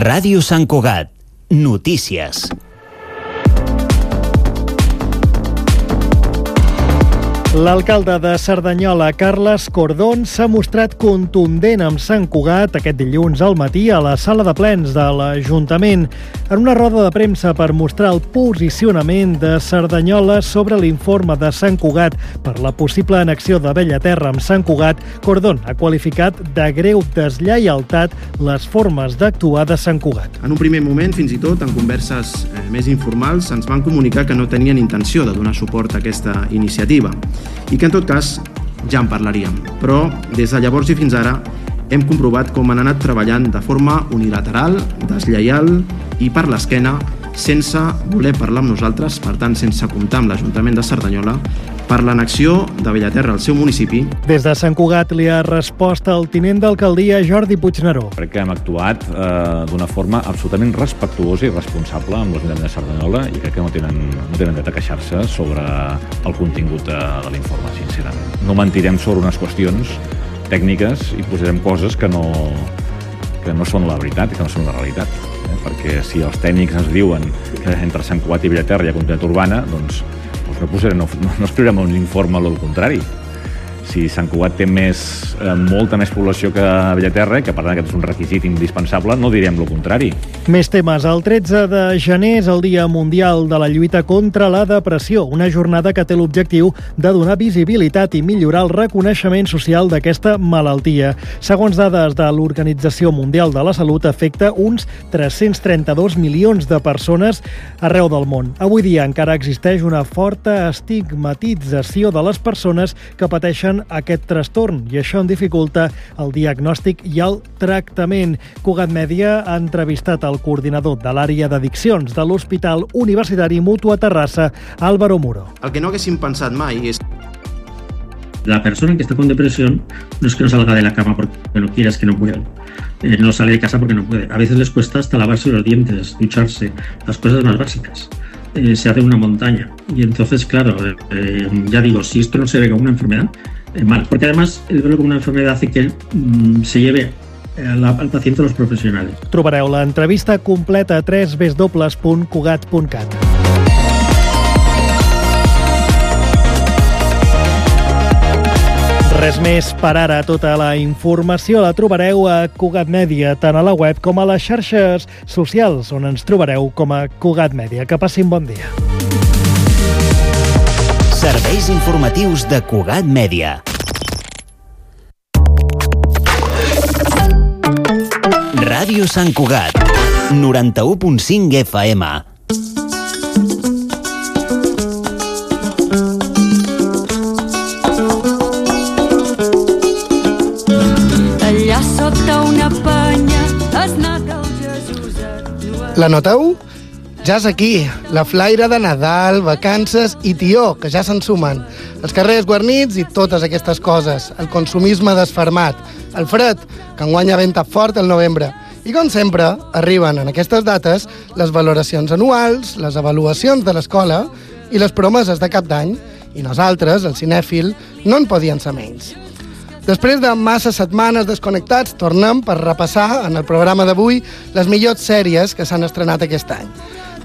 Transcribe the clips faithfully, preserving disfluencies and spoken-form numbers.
Ràdio Sant Cugat. Notícies. L'alcalde de Cerdanyola, Carles Cordón, s'ha mostrat contundent amb Sant Cugat aquest dilluns al matí a la sala de plens de l'Ajuntament en una roda de premsa per mostrar el posicionament de Cerdanyola sobre l'informe de Sant Cugat per la possible annexió de Bellaterra amb Sant Cugat. Cordón ha qualificat de greu deslleialtat les formes d'actuar de Sant Cugat. En un primer moment, fins i tot, en converses eh, més informals, ens van comunicar que no tenien intenció de donar suport a aquesta iniciativa i que en tot cas ja en parlaríem. Però des de llavors i fins ara hem comprovat com han anat treballant de forma unilateral, deslleial i per l'esquena, sense voler parlar amb nosaltres, per tant sense comptar amb l'Ajuntament de Cerdanyola, per l'annexió de Bellaterra al seu municipi. Des de Sant Cugat li ha respost el tinent d'alcaldia Jordi Puigneró. Crec que hem actuat eh, d'una forma absolutament respectuosa i responsable amb l'Ajuntament de Cerdanyola i crec que no tenen, no tenen dret a queixar-se sobre el contingut de, de l'informe, sincerament. No mentirem sobre unes qüestions tècniques i posarem coses que no, que no són la veritat i que no són la realitat. Eh? Perquè si els tècnics ens diuen que entre Sant Cugat i Bellaterra hi ha continuïtat urbana, doncs no, posarem, no, no escriurem un informe al contrari. Si Sant Cugat té més, eh, molta més població que Bellaterra, que per tant aquest és un requisit indispensable, no direm el contrari. Més temes. El tretze de gener és el Dia Mundial de la Lluita contra la Depressió, una jornada que té l'objectiu de donar visibilitat i millorar el reconeixement social d'aquesta malaltia. Segons dades de l'Organització Mundial de la Salut, afecta uns tres-cents trenta-dos milions de persones arreu del món. Avui dia encara existeix una forta estigmatització de les persones que pateixen aquest trastorn i això en dificulta el diagnòstic i el tractament. Cugat Mèdia ha entrevistat el coordinador de l'àrea d'addiccions de l'Hospital Universitari Mutu a Terrassa, Álvaro Muro. El que no haguéssim pensat mai és... La persona que está con depresión no es que no salga de la cama porque no quiera, es que no puede. Eh, no sale de casa porque no puede. A veces les cuesta hasta lavarse los dientes, ducharse, las cosas más básicas. Eh, se hace una montaña. Y entonces, claro, eh, ya digo, si esto no se ve como una enfermedad, eh, mal. Porque además, el verlo como una enfermedad hace que mm, se lleve al, al paciente a los profesionales. Trobareu l'entrevista completa a w w w punt cugat punt cat. Res més per ara. Tota la informació la trobareu a Cugat Mèdia, tant a la web com a les xarxes socials, on ens trobareu com a Cugat Mèdia. Que passin bon dia. Serveis informatius de Cugat Mèdia. Ràdio Sant Cugat, noranta-u punt cinc F M. La noteu? Ja és aquí, la flaire de Nadal, vacances i tió, que ja se'n sumen. Els carrers guarnits i totes aquestes coses. El consumisme desfermat. El fred, que enguanya venta fort el novembre. I com sempre, arriben en aquestes dates les valoracions anuals, les avaluacions de l'escola i les promeses de cap d'any. I nosaltres, el cinèfil, no en podien ser menys. Després de massa setmanes desconnectats, tornem per repassar en el programa d'avui les millors sèries que s'han estrenat aquest any.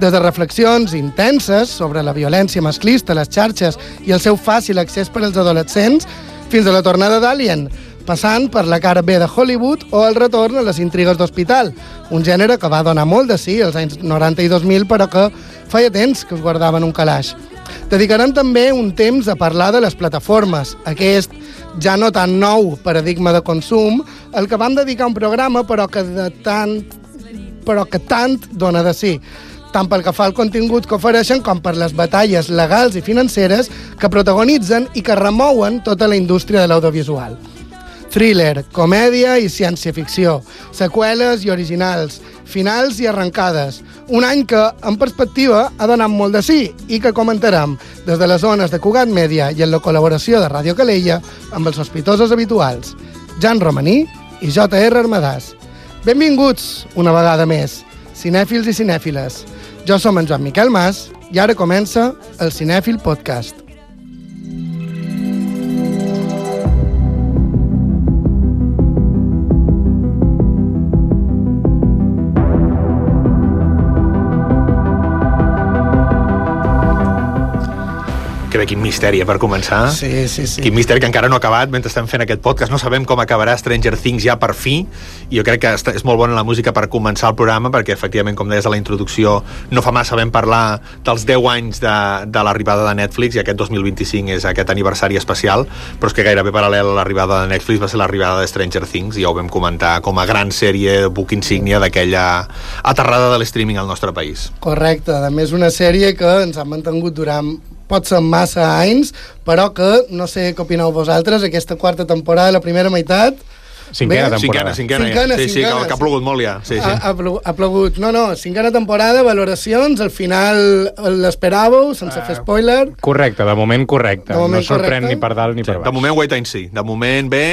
Des de reflexions intenses sobre la violència masclista a les xarxes i el seu fàcil accés per als adolescents, fins a la tornada d'Alien, passant per la cara B de Hollywood o el retorn a les intrigues d'hospital, un gènere que va donar molt de sí als anys noranta i dos mil, però que feia temps que es guardaven un calaix. Dedicarem també un temps a parlar de les plataformes, aquest ja no tan nou paradigma de consum, al que vam dedicar un programa però que, de tant, però que tant dona de sí, tant pel que fa al contingut que ofereixen com per les batalles legals i financeres que protagonitzen i que remouen tota la indústria de l'audiovisual. Thriller, comèdia i ciència-ficció, seqüeles i originals, finals i arrencades. Un any que, en perspectiva, ha donat molt de sí i que comentarem des de les zones de Cugat Mèdia i en la col·laboració de Ràdio Calella amb els sospitosos habituals, Jan Romaní i J R Armadàs. Benvinguts una vegada més, cinèfils i cinèfiles. Jo som en Joan Miquel Mas i ara comença el Cinèfil Podcast. Que bé, quin misteri, per començar. Sí, sí, sí. Quin misteri que encara no ha acabat mentre estem fent aquest podcast. No sabem com acabarà Stranger Things ja per fi, i jo crec que és molt bona la música per començar el programa, perquè efectivament, com deies a la introducció, no fa massa vam parlar dels deu anys de, de l'arribada de Netflix, i aquest dos mil vint-i-cinc és aquest aniversari especial, però és que gairebé paral·lel a l'arribada de Netflix va ser l'arribada de Stranger Things, i ja ho vam comentar com a gran sèrie, book insígnia d'aquella aterrada de l'streaming al nostre país. Correcte, a més una sèrie que ens ha mantingut durant pot ser massa anys, però que, no sé què opineu vosaltres, aquesta quarta temporada, la primera meitat... Cinquena temporada. Cinquena, cinquena, cinquena, ja. Sí, cinquena, sí, que ha plogut molt ja. Sí, sí. Ha, ha, plogut, ha plogut. No, no, cinquena temporada, valoracions, al final l'esperàveu, sense uh, fer spoiler. Correcte, de moment correcte. De moment no sorprèn correcte. Ni per dalt ni per baix. De moment wait and see. De moment bé,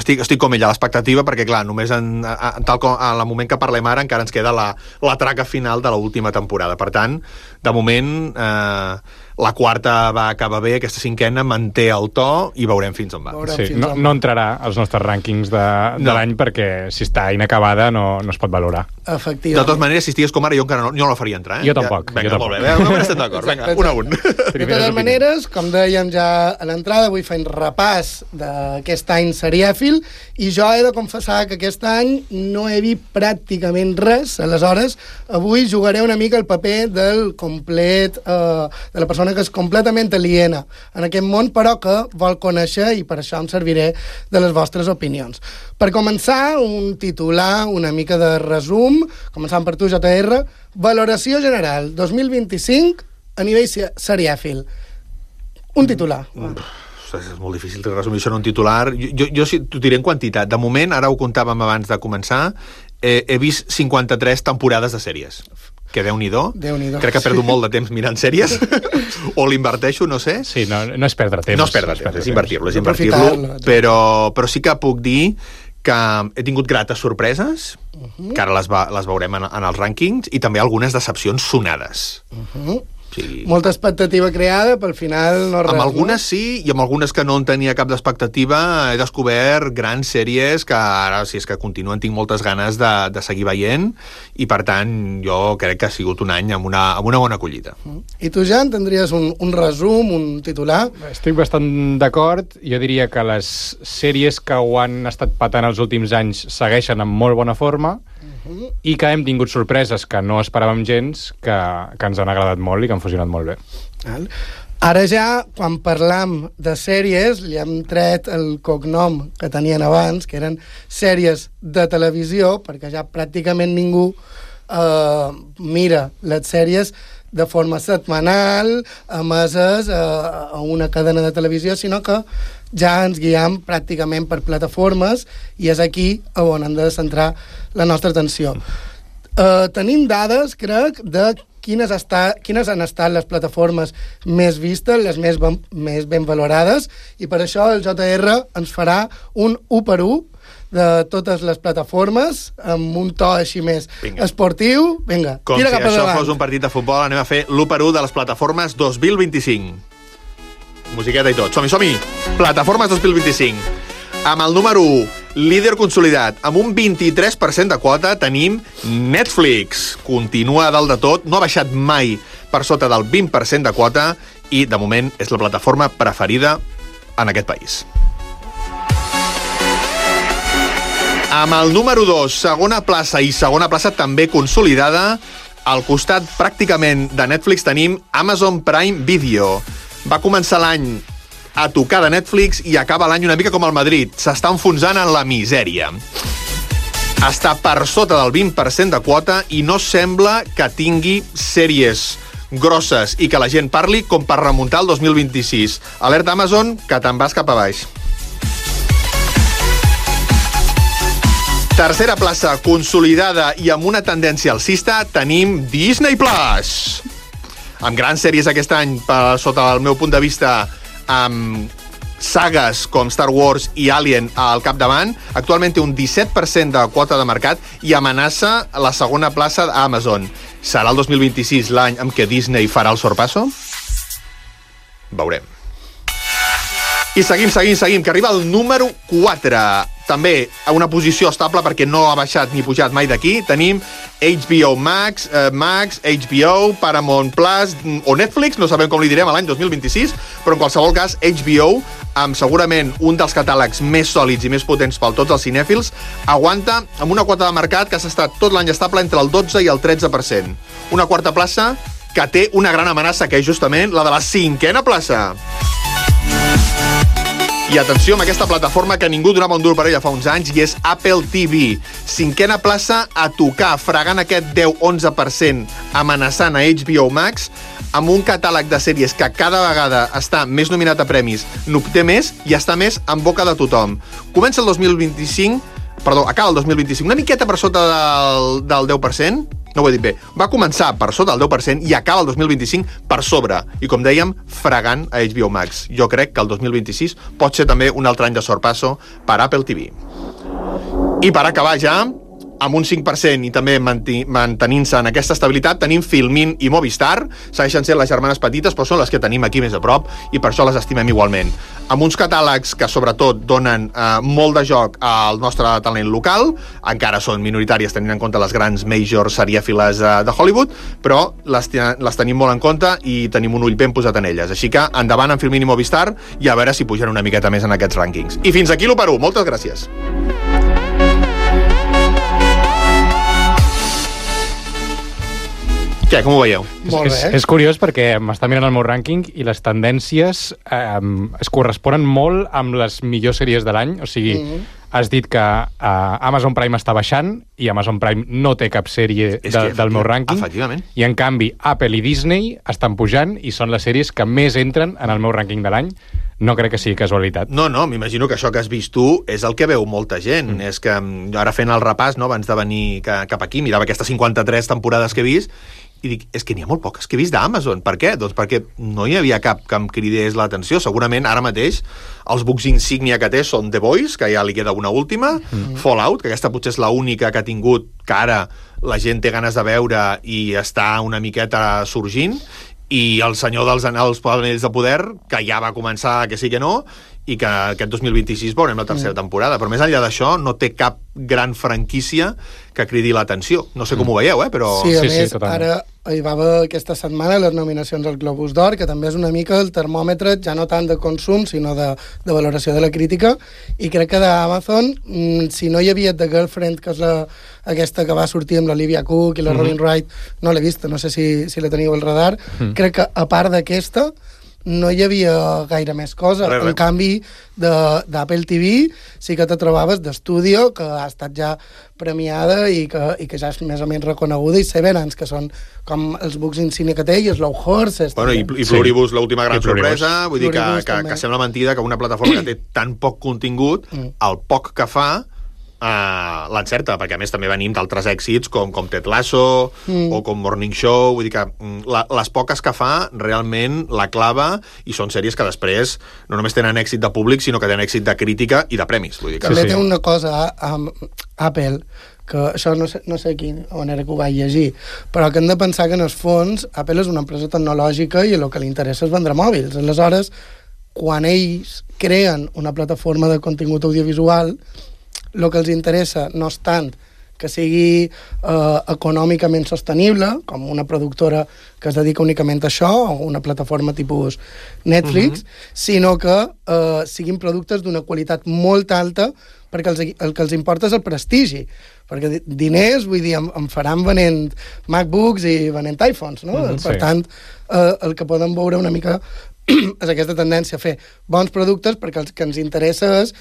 estic, estic com ella, a l'expectativa, perquè clar, només en, a, tal com en el moment que parlem ara encara ens queda la, la traca final de l'última temporada. Per tant, de moment... Eh, la quarta va acabar bé, aquesta cinquena manté el to i veurem fins on va. Sí, no, no entrarà als nostres rànquings de, de no. l'any, perquè si està inacabada no, no es pot valorar. Efectivament. De totes maneres, si estigués com ara, jo encara no, jo no la faria entrar. Eh? Jo tampoc. Ja, venga, jo tampoc. Molt bé, no estem d'acord. Vinga, un a un. De totes maneres, com dèiem ja a l'entrada, avui fem repàs d'aquest any serièfil, i jo he de confessar que aquest any no he vist pràcticament res. Aleshores, avui jugaré una mica el paper del complet, eh, de la persona que és completament aliena en aquest món, però que vol conèixer, i per això em serviré de les vostres opinions. Per començar, un titular, una mica de resum, començant per tu, J R, valoració general dos mil vint-i-cinc a nivell serièfil. Un titular. Mm. És molt difícil de resumir això en un titular. Jo, jo, jo t'ho diré en quantitat. De moment, ara ho comptàvem abans de començar, eh, he vist cinquanta-tres temporades de sèries. Que Déu-n'hi-do. Déu-n'hi-do. Crec que perdo sí. molt de temps mirant sèries. O l'inverteixo, no sé. Sí, no, no és perdre temps. No és perdre temps, és invertir-lo, és invertir-lo. Però, però sí que puc dir que he tingut grates sorpreses, uh-huh. que ara les, va, les veurem en, en els rànquings, i també algunes decepcions sonades. Uh-huh. Sí. Molta expectativa creada, però al final no res. Amb algunes no? sí, i amb algunes que no en tenia cap d'expectativa he descobert grans sèries que ara, si és que continuen, tinc moltes ganes de, de seguir veient, i per tant jo crec que ha sigut un any amb una, amb una bona acollida. I tu, Jan, tindries un, un resum, un titular? Estic bastant d'acord. Jo diria que les sèries que ho han estat patant els últims anys segueixen amb molt bona forma, uh-huh. i que hem tingut sorpreses que no esperàvem gens, que, que ens han agradat molt i que han funcionat molt bé. Ara ja, quan parlam de sèries, li hem tret el cognom que tenien abans, que eren sèries de televisió, perquè ja pràcticament ningú eh, mira les sèries de forma setmanal, emeses eh, a una cadena de televisió, sinó que ja ens guiem pràcticament per plataformes, i és aquí on hem de centrar la nostra atenció. Eh, tenim dades, crec, de quines, està, quines han estat les plataformes més vistes, les més ben, més ben valorades, i per això el J R ens farà un u per u de totes les plataformes, amb un to així més Vinga. esportiu. Vinga, com tira si cap això davant. fos un partit de futbol, anem a fer l'u per u de les plataformes dos mil vint-i-cinc. Musiqueta i tot. Som-hi, som-hi! Plataformes dos mil vint-i-cinc. Amb el número u, líder consolidat, amb un vint-i-tres per cent de quota, tenim Netflix. Continua a dalt de tot, no ha baixat mai per sota del vint per cent de quota, i de moment és la plataforma preferida en aquest país. Amb el número dos, segona plaça, i segona plaça també consolidada, al costat pràcticament de Netflix tenim Amazon Prime Video. Va començar l'any a tocar de Netflix i acaba l'any una mica com el Madrid. S'està enfonsant en la misèria. Està per sota del vint per cent de quota i no sembla que tingui sèries grosses i que la gent parli com per remuntar el dos mil vint-i-sis. Alerta Amazon, que te'n vas cap a baix. Tercera plaça, consolidada i amb una tendència alcista, tenim Disney Plus. Amb grans sèries aquest any, per sota el meu punt de vista, amb sagues com Star Wars i Alien al capdavant. Actualment té un disset per cent de quota de mercat i amenaça la segona plaça d'Amazon. Serà el dos mil vint-i-sis l'any en què Disney farà el sorpasso? Veurem. I seguim, seguim, seguim, que arriba el número quatre. també una posició estable perquè no ha baixat ni pujat mai d'aquí. Tenim H B O Max, eh, Max, H B O, Paramount Plus o Netflix, no sabem com li direm a l'any dos mil vint-i-sis, però en qualsevol cas H B O, amb segurament un dels catàlegs més sòlids i més potents per tots els cinèfils, aguanta amb una quota de mercat que s'ha estat tot l'any estable entre el dotze i el tretze per cent. Una quarta plaça que té una gran amenaça, que és justament la de la cinquena plaça. I atenció amb aquesta plataforma que ningú donava un dur per ella fa uns anys, i és Apple T V. Cinquena plaça a tocar, fregant aquest deu a onze per cent, amenaçant a H B O Max, amb un catàleg de sèries que cada vegada està més nominat a premis, n'obté més i està més en boca de tothom. Comença el dos mil vint-i-cinc, perdó, acaba el dos mil vint-i-cinc, una miqueta per sota del, del deu per cent, no ho he dit bé, va començar per sota del deu per cent i acaba el dos mil vint-i-cinc per sobre. I com dèiem, fregant a H B O Max. Jo crec que el dos mil vint-i-sis pot ser també un altre any de sorpasso per Apple T V. I per acabar ja, amb un cinc per cent i també mantenint-se en aquesta estabilitat, tenim Filmin i Movistar. Segueixen sent les germanes petites, però són les que tenim aquí més a prop i per això les estimem igualment. Amb uns catàlegs que sobretot donen eh, molt de joc al nostre talent local, encara són minoritàries tenint en compte les grans majors serièfiles eh, de Hollywood, però les, les tenim molt en compte i tenim un ull ben posat en elles. Així que endavant amb Filmin i Movistar i a veure si pugen una miqueta més en aquests rànquings. I fins aquí l'u per u. Moltes gràcies. Què, com ho veieu? Molt és, bé. és curiós perquè m'està mirant el meu rànquing i les tendències eh, es corresponen molt amb les millors sèries de l'any. O sigui, mm-hmm. has dit que eh, Amazon Prime està baixant i Amazon Prime no té cap sèrie de, que, del meu rànquing. Efectivament. I, en canvi, Apple i Disney estan pujant i són les sèries que més entren en el meu rànquing de l'any. No crec que sigui casualitat. No, no, m'imagino que això que has vist tu és el que veu molta gent. Mm. És que jo ara fent el repàs, no, abans de venir cap aquí, mirava aquestes cinquanta-tres temporades que he vist i dic, és que n'hi ha molt poques que he vist d'Amazon. Per què? Doncs perquè no hi havia cap que em cridés l'atenció. Segurament ara mateix els books insígnia que té són The Boys, que ja li queda una última, mm. Fallout, que aquesta potser és l'única que ha tingut, que ara la gent té ganes de veure i està una miqueta sorgint, i El senyor dels anells, anells de poder, que ja va començar que sí que no, i que aquest dos mil vint-i-sis veurem la tercera mm. temporada. Però més enllà d'això, no té cap gran franquícia que cridi l'atenció. No sé com ho veieu, eh? Però... Sí, a sí, més, sí, ara hi va haver aquesta setmana les nominacions al Globus d'Or, que també és una mica el termòmetre, ja no tant de consum, sinó de, de valoració de la crítica, i crec que d'Amazon, si no hi havia The Girlfriend, que és la, aquesta que va sortir amb l'Olivia Cook i la mm-hmm. Robin Wright, no l'he vista, no sé si, si la teniu al radar, mm. crec que a part d'aquesta no hi havia gaire més cosa. Res, res. En canvi, d'Apple T V sí que te trobaves d'Estudio, que ha estat ja premiada i que, i que ja és més o menys reconeguda, i Severance, que són com els books insignia que té, i Slow Horses. Bueno, i, i Pluribus, sí. l'última gran sorpresa, vull dir que, que, que sembla mentida que una plataforma que té tan poc contingut, mm. el poc que fa, Uh, l'encerta, perquè a més també venim d'altres èxits com, com Ted Lasso mm. o com Morning Show, vull dir que la, les poques que fa realment la clava, i són sèries que després no només tenen èxit de públic, sinó que tenen èxit de crítica i de premis. Vull dir que... També sí. té una cosa amb Apple, que això no sé, no sé quin manera que ho vaig llegir, però que hem de pensar que en el fons Apple és una empresa tecnològica i el que li interessa és vendre mòbils. Aleshores, quan ells creen una plataforma de contingut audiovisual, el que els interessa no és tant que sigui eh, econòmicament sostenible, com una productora que es dedica únicament a això, o una plataforma tipus Netflix, uh-huh. sinó que eh, siguin productes d'una qualitat molt alta, perquè els, el que els importa és el prestigi. Perquè diners, vull dir, em, em faran venent MacBooks i venent iPhones, no? Uh-huh, per sí. tant, eh, el que poden veure una mica és aquesta tendència a fer bons productes, perquè el que ens interessa és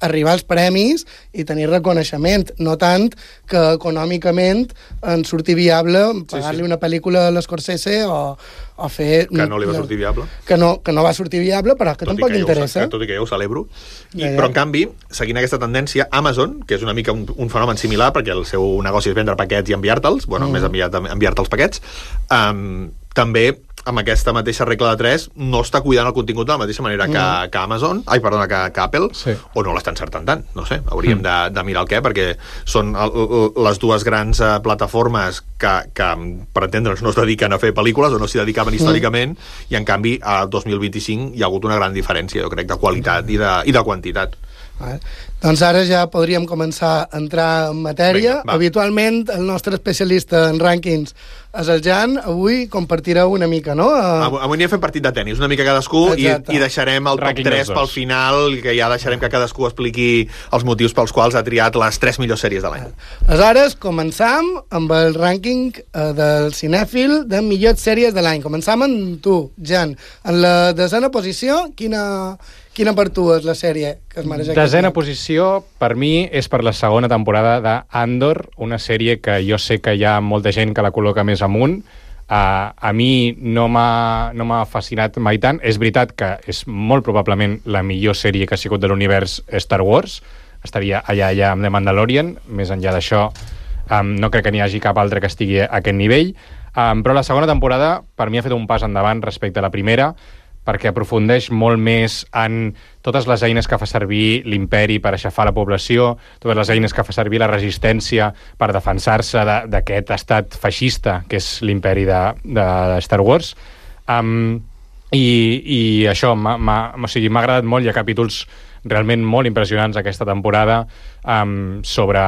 arribar als premis i tenir reconeixement, no tant que econòmicament ens surti viable pagar-li sí, sí. una pel·lícula a l'Scorsese o, o fer... Que no li va sortir viable. Que no, que no va sortir viable, però que tot tampoc interessa. Ho, tot i que jo ho celebro. I, ja, ja. Però, en canvi, seguint aquesta tendència, Amazon, que és una mica un, un fenomen similar, perquè el seu negoci és vendre paquets i enviar-te'ls, bueno, mm. més enviar, enviar-te els paquets, um, també amb aquesta mateixa regla de tres, no està cuidant el contingut de la mateixa manera que, mm. que Amazon, ai, perdona, que, que Apple, sí. o no l'està encertant tant, no sé, hauríem mm. de, de mirar el què, perquè són el, el, les dues grans uh, plataformes que, que, per entendre'ns, no es dediquen a fer pel·lícules o no s'hi dedicaven mm. històricament, i en canvi, al dos mil vint-i-cinc hi ha hagut una gran diferència, jo crec, de qualitat i de, i de quantitat. Vale. Doncs ara ja podríem començar a entrar en matèria. Vinga, habitualment el nostre especialista en rànquings és el Jan. Avui compartirà una mica, no? Uh... Avui, avui n'hi ha fet partit de tennis, una mica cadascú, i, i deixarem el top tres pel final, que ja deixarem que cadascú expliqui els motius pels quals ha triat les tres millors sèries de l'any. Aleshores, començam amb el rànquing uh, del cinèfil de millors sèries de l'any. Començam amb tu, Jan. En la desena posició, quina... Quina per tu és la sèrie que es mereix? Desena posició, per mi, és per la segona temporada d'Andor, una sèrie que jo sé que hi ha molta gent que la col·loca més amunt. Uh, a mi no m'ha no m'ha fascinat mai tant. És veritat que és molt probablement la millor sèrie que ha sigut de l'univers Star Wars. Estaria allà, allà amb The Mandalorian. Més enllà d'això, um, no crec que n'hi hagi cap altre que estigui a aquest nivell. Um, però la segona temporada, per mi, ha fet un pas endavant respecte a la primera, perquè aprofundeix molt més en totes les eines que fa servir l'imperi per aixafar la població, totes les eines que fa servir la resistència per defensar-se d'aquest estat feixista que és l'imperi de, de Star Wars. Um, i, I això m'ha o sigui, m'ha agradat molt. Hi ha capítols realment molt impressionants aquesta temporada um, sobre...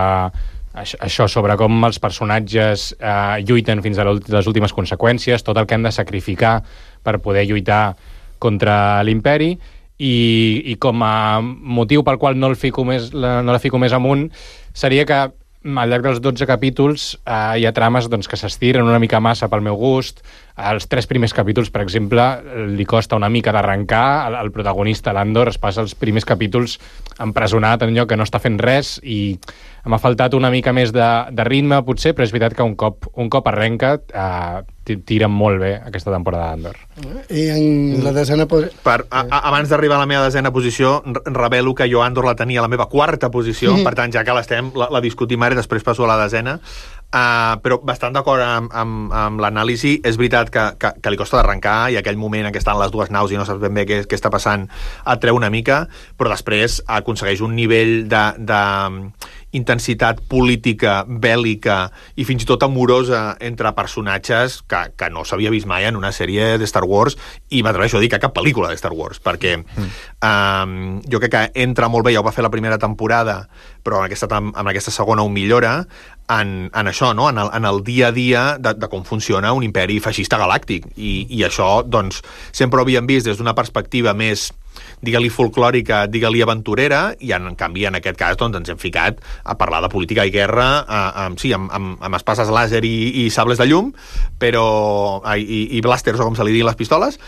això, sobre com els personatges eh, lluiten fins a les últimes conseqüències, tot el que han de sacrificar per poder lluitar contra l'imperi, i, i com a motiu pel qual no, el fico més, la, no la fico més amunt seria que al llarg dels dotze capítols eh, hi ha trames doncs, que s'estiren una mica massa pel meu gust. Els tres primers capítols, per exemple, li costa una mica d'arrencar. El, el protagonista, l'Andor, es passa els primers capítols empresonat en lloc que no està fent res, i m'ha faltat una mica més de, de ritme, potser, però és veritat que un cop, un cop arrenca eh, tira molt bé aquesta temporada d'Andor. I en la desena posició... Per, a, a, abans d'arribar a la meva desena posició, revelo que jo Andor la tenia a la meva quarta posició, mm. per tant, ja que l'estem, la, la discutim ara i després passo a la desena. Uh, però bastant d'acord amb, amb, amb l'anàlisi. És veritat que, que, que li costa d'arrencar, i aquell moment en què estan les dues naus i no saps ben bé què, què està passant et treu una mica, però després aconsegueix un nivell de, de intensitat política, bèl·lica i fins i tot amorosa entre personatges que, que no s'havia vist mai en una sèrie de Star Wars, i m'atreveixo a dir que cap pel·lícula de Star Wars, perquè mm. um, jo crec que entra molt bé, ja ho va fer la primera temporada, però en aquesta, en aquesta segona ho millora, en, en això, no? en, el, en el dia a dia de, de com funciona un imperi feixista galàctic, i, i això doncs, sempre ho havíem vist des d'una perspectiva més, digue-li folclòrica, digue-li aventurera, i en, en canvi en aquest cas doncs, ens hem ficat a parlar de política i guerra, a, a, sí, amb, amb, amb espases làser i, i sables de llum, però i, i blasters, o com se li diuen les pistoles,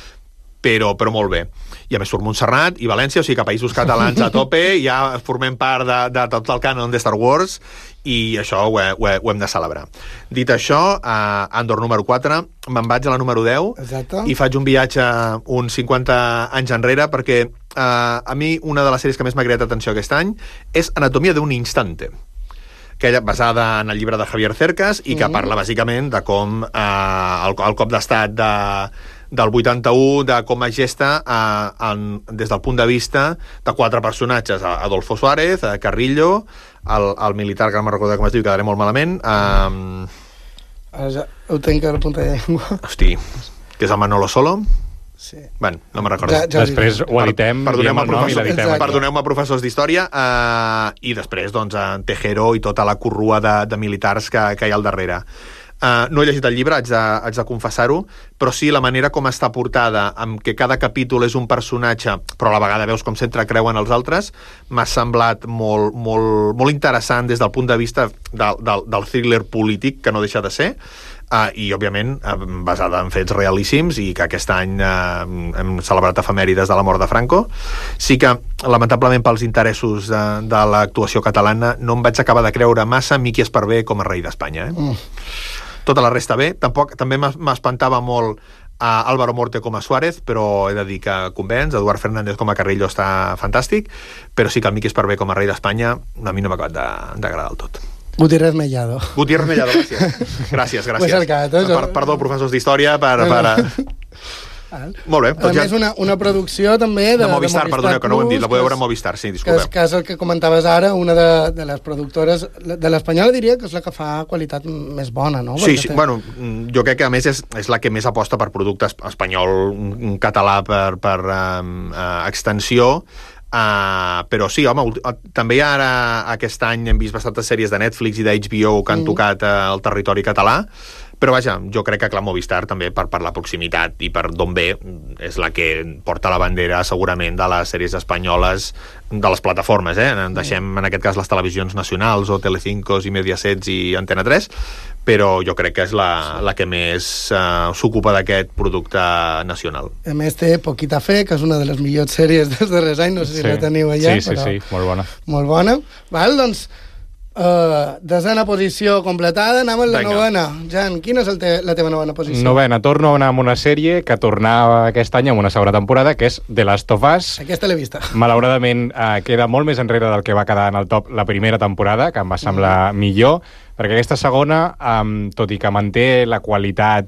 però, però molt bé. I a més surt Montserrat i València, o sigui que països catalans a tope, ja formem part de, de tot el cànon de Star Wars, i això ho, he, ho, he, ho hem de celebrar. Dit això, a Andor número quatre, me'n vaig a la número deu. Exacte. I faig un viatge uns cinquanta anys enrere, perquè uh, a mi una de les sèries que més m'ha creat atenció aquest any és Anatomia d'un instante, que ella basada en el llibre de Javier Cercas, i que mm-hmm. parla bàsicament de com uh, el, el cop d'estat de del vuitanta-u, de com es gesta eh, en, des del punt de vista de quatre personatges, Adolfo Suárez, eh, Carrillo, el, el militar, que no me'n recordo com es diu, quedaré molt malament. Eh, Ara ja ho tenc a la punta de llengua. Hosti, que és el Manolo Solo? Sí. Bueno, no me'n recordo. Ja, ja després ho editem, perdoneu-me, el nom i l'editem. Perdoneu-me, professors d'història, eh, i després, doncs, en Tejero i tota la corrua de, de militars que, que hi ha al darrere. Uh, no he llegit el llibre, haig de, haig de confessar-ho, però sí, la manera com està portada, amb que cada capítol és un personatge, però a la vegada veus com s'entrecreuen els altres, m'ha semblat molt, molt, molt interessant des del punt de vista del, del, del thriller polític, que no deixa de ser, uh, i, òbviament, uh, basada en fets realíssims, i que aquest any uh, hem celebrat efemèrides de la mort de Franco. Sí que, lamentablement, pels interessos de, de l'actuació catalana, no em vaig acabar de creure massa Miqui Esparvé com a rei d'Espanya. Eh? Mm. Tota la resta bé. Tampoc, també m'espantava molt a Álvaro Morte com a Suárez, però he de dir que convenç. Eduard Fernández com a Carrillo està fantàstic, però sí que el Miqui Esparvé com a rei d'Espanya a mi no m'ha acabat d'agradar del tot. Gutiérrez Mellado. Gutiérrez Mellado, gràcies. Gràcies, gràcies. Cercat, eh? Per, perdó, professors d'història, per... per... Molt bé. Doncs a més, ja... una, una producció també de, de Movistar, de Movistar perdoneu, que no ho hem dit, la podeu veure a Movistar, sí, disculpeu. Que és, que és el que comentaves ara, una de, de les productores de l'Espanyola, diria que és la que fa qualitat més bona, no? Sí, sí, té... bueno, jo crec que a més és, és la que més aposta per producte espanyol, català per, per um, uh, extensió. Uh, però sí, home, també ara aquest any hem vist bastantes sèries de Netflix i d'H B O que han mm. tocat uh, el territori català, però vaja, jo crec que clar, Movistar també per, per la proximitat i per d'on ve és la que porta la bandera segurament de les sèries espanyoles de les plataformes, eh? Deixem en aquest cas les televisions nacionals o Telecinco i Mediaset i Antena tres, però jo crec que és la, la que més uh, s'ocupa d'aquest producte nacional. A més té Poquita Fe, que és una de les millors sèries dels darrers anys, no sé si sí. la teniu allà. Sí, sí, però... sí, molt bona. Molt bona. Val, doncs, uh, desena posició completada, anem a la Venga. novena. Jan, quina és el te la teva novena posició? Novena, torno a anar amb una sèrie que tornava aquest any amb una segona temporada, que és The Last of Us. Aquesta l'he vista. Malauradament uh, queda molt més enrere del que va quedar en el top la primera temporada, que em va semblar mm. millor, perquè aquesta segona, um, tot i que manté la qualitat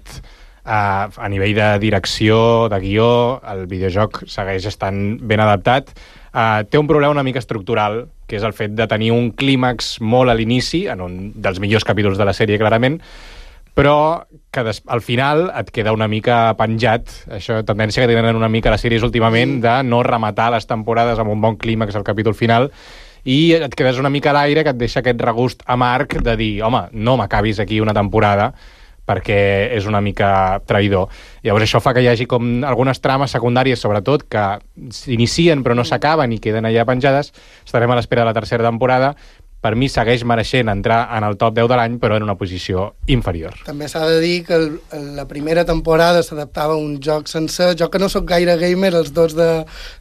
uh, a nivell de direcció, de guió, el videojoc segueix estant ben adaptat, uh, té un problema una mica estructural, que és el fet de tenir un clímax molt a l'inici, en un dels millors capítols de la sèrie, clarament, però que des, al final et queda una mica penjat, això tendència que tenen una mica les sèries últimament, de no rematar les temporades amb un bon clímax al capítol final, i et quedes una mica a l'aire que et deixa aquest regust amarg de dir, home, no m'acabis aquí una temporada perquè és una mica traïdor. Llavors això fa que hi hagi com algunes trames secundàries, sobretot, que s'inicien però no s'acaben i queden allà penjades. Estarem a l'espera de la tercera temporada. Per mi segueix mereixent entrar en el top deu de l'any, però en una posició inferior. També s'ha de dir que el, la primera temporada s'adaptava a un joc sencer. Jo que no sóc gaire gamer, els dos de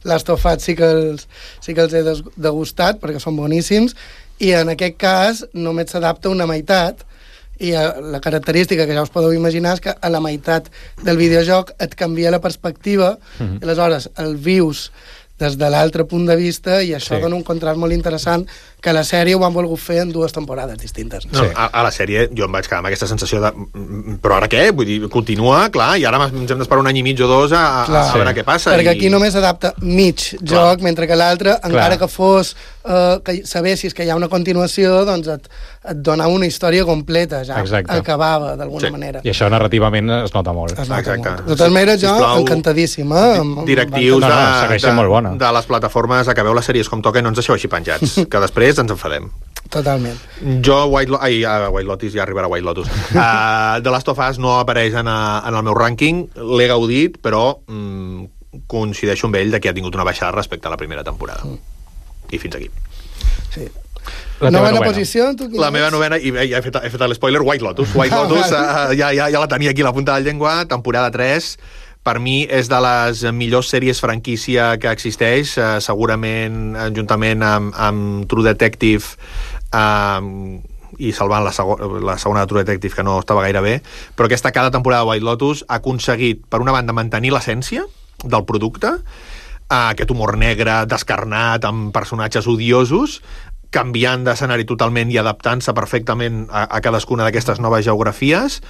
Last of Us sí que els, sí que els he degustat, perquè són boníssims, i en aquest cas només s'adapta una meitat, i la característica que ja us podeu imaginar és que a la meitat del videojoc et canvia la perspectiva, mm-hmm. i aleshores el vius des de l'altre punt de vista, i això sí. dona un contrast molt interessant, que la sèrie ho han volgut fer en dues temporades distintes. No, sí. a, a la sèrie jo em vaig quedar amb aquesta sensació de però ara què? Vull dir, continua, clar, i ara ens hem d'esperar un any i mig o dos a, a, a veure sí. què passa. Perquè i... aquí només adapta mig clar. joc, mentre que l'altre, encara que fos eh, que sabessis que hi ha una continuació, doncs et, et dona una història completa, ja Exacte. acabava d'alguna sí. manera. I això narrativament es nota molt. Es nota Exacte. molt. De totes maneres, jo Sisplau, encantadíssim. Eh? Directius no, no, de, de, molt bona. de les plataformes, acabeu les sèries com toca i no ens deixeu així penjats, que després ens enfadem. Totalment. Jo, White, Lo ai, uh, White Lotus, ja arribarà White Lotus. Uh, The Last of Us no apareix en, a, en el meu rànquing, l'he gaudit, però mm, coincideixo amb ell de que ha tingut una baixada respecte a la primera temporada. Mm. I fins aquí. Sí. La novena, novena posició? Tu la meva novena, i ja he fet, he fet l'espoiler, White Lotus. White Lotus, uh, ja, ja, ja la tenia aquí a la punta de la llengua, temporada tres. Per mi és de les millors sèries franquícia que existeix, eh, segurament juntament amb, amb True Detective eh, i salvant la, sego la segona de True Detective, que no estava gaire bé, però aquesta cada temporada de White Lotus ha aconseguit, per una banda, mantenir l'essència del producte, eh, aquest humor negre, descarnat, amb personatges odiosos, canviant d'escenari totalment i adaptant-se perfectament a, a cadascuna d'aquestes noves geografies,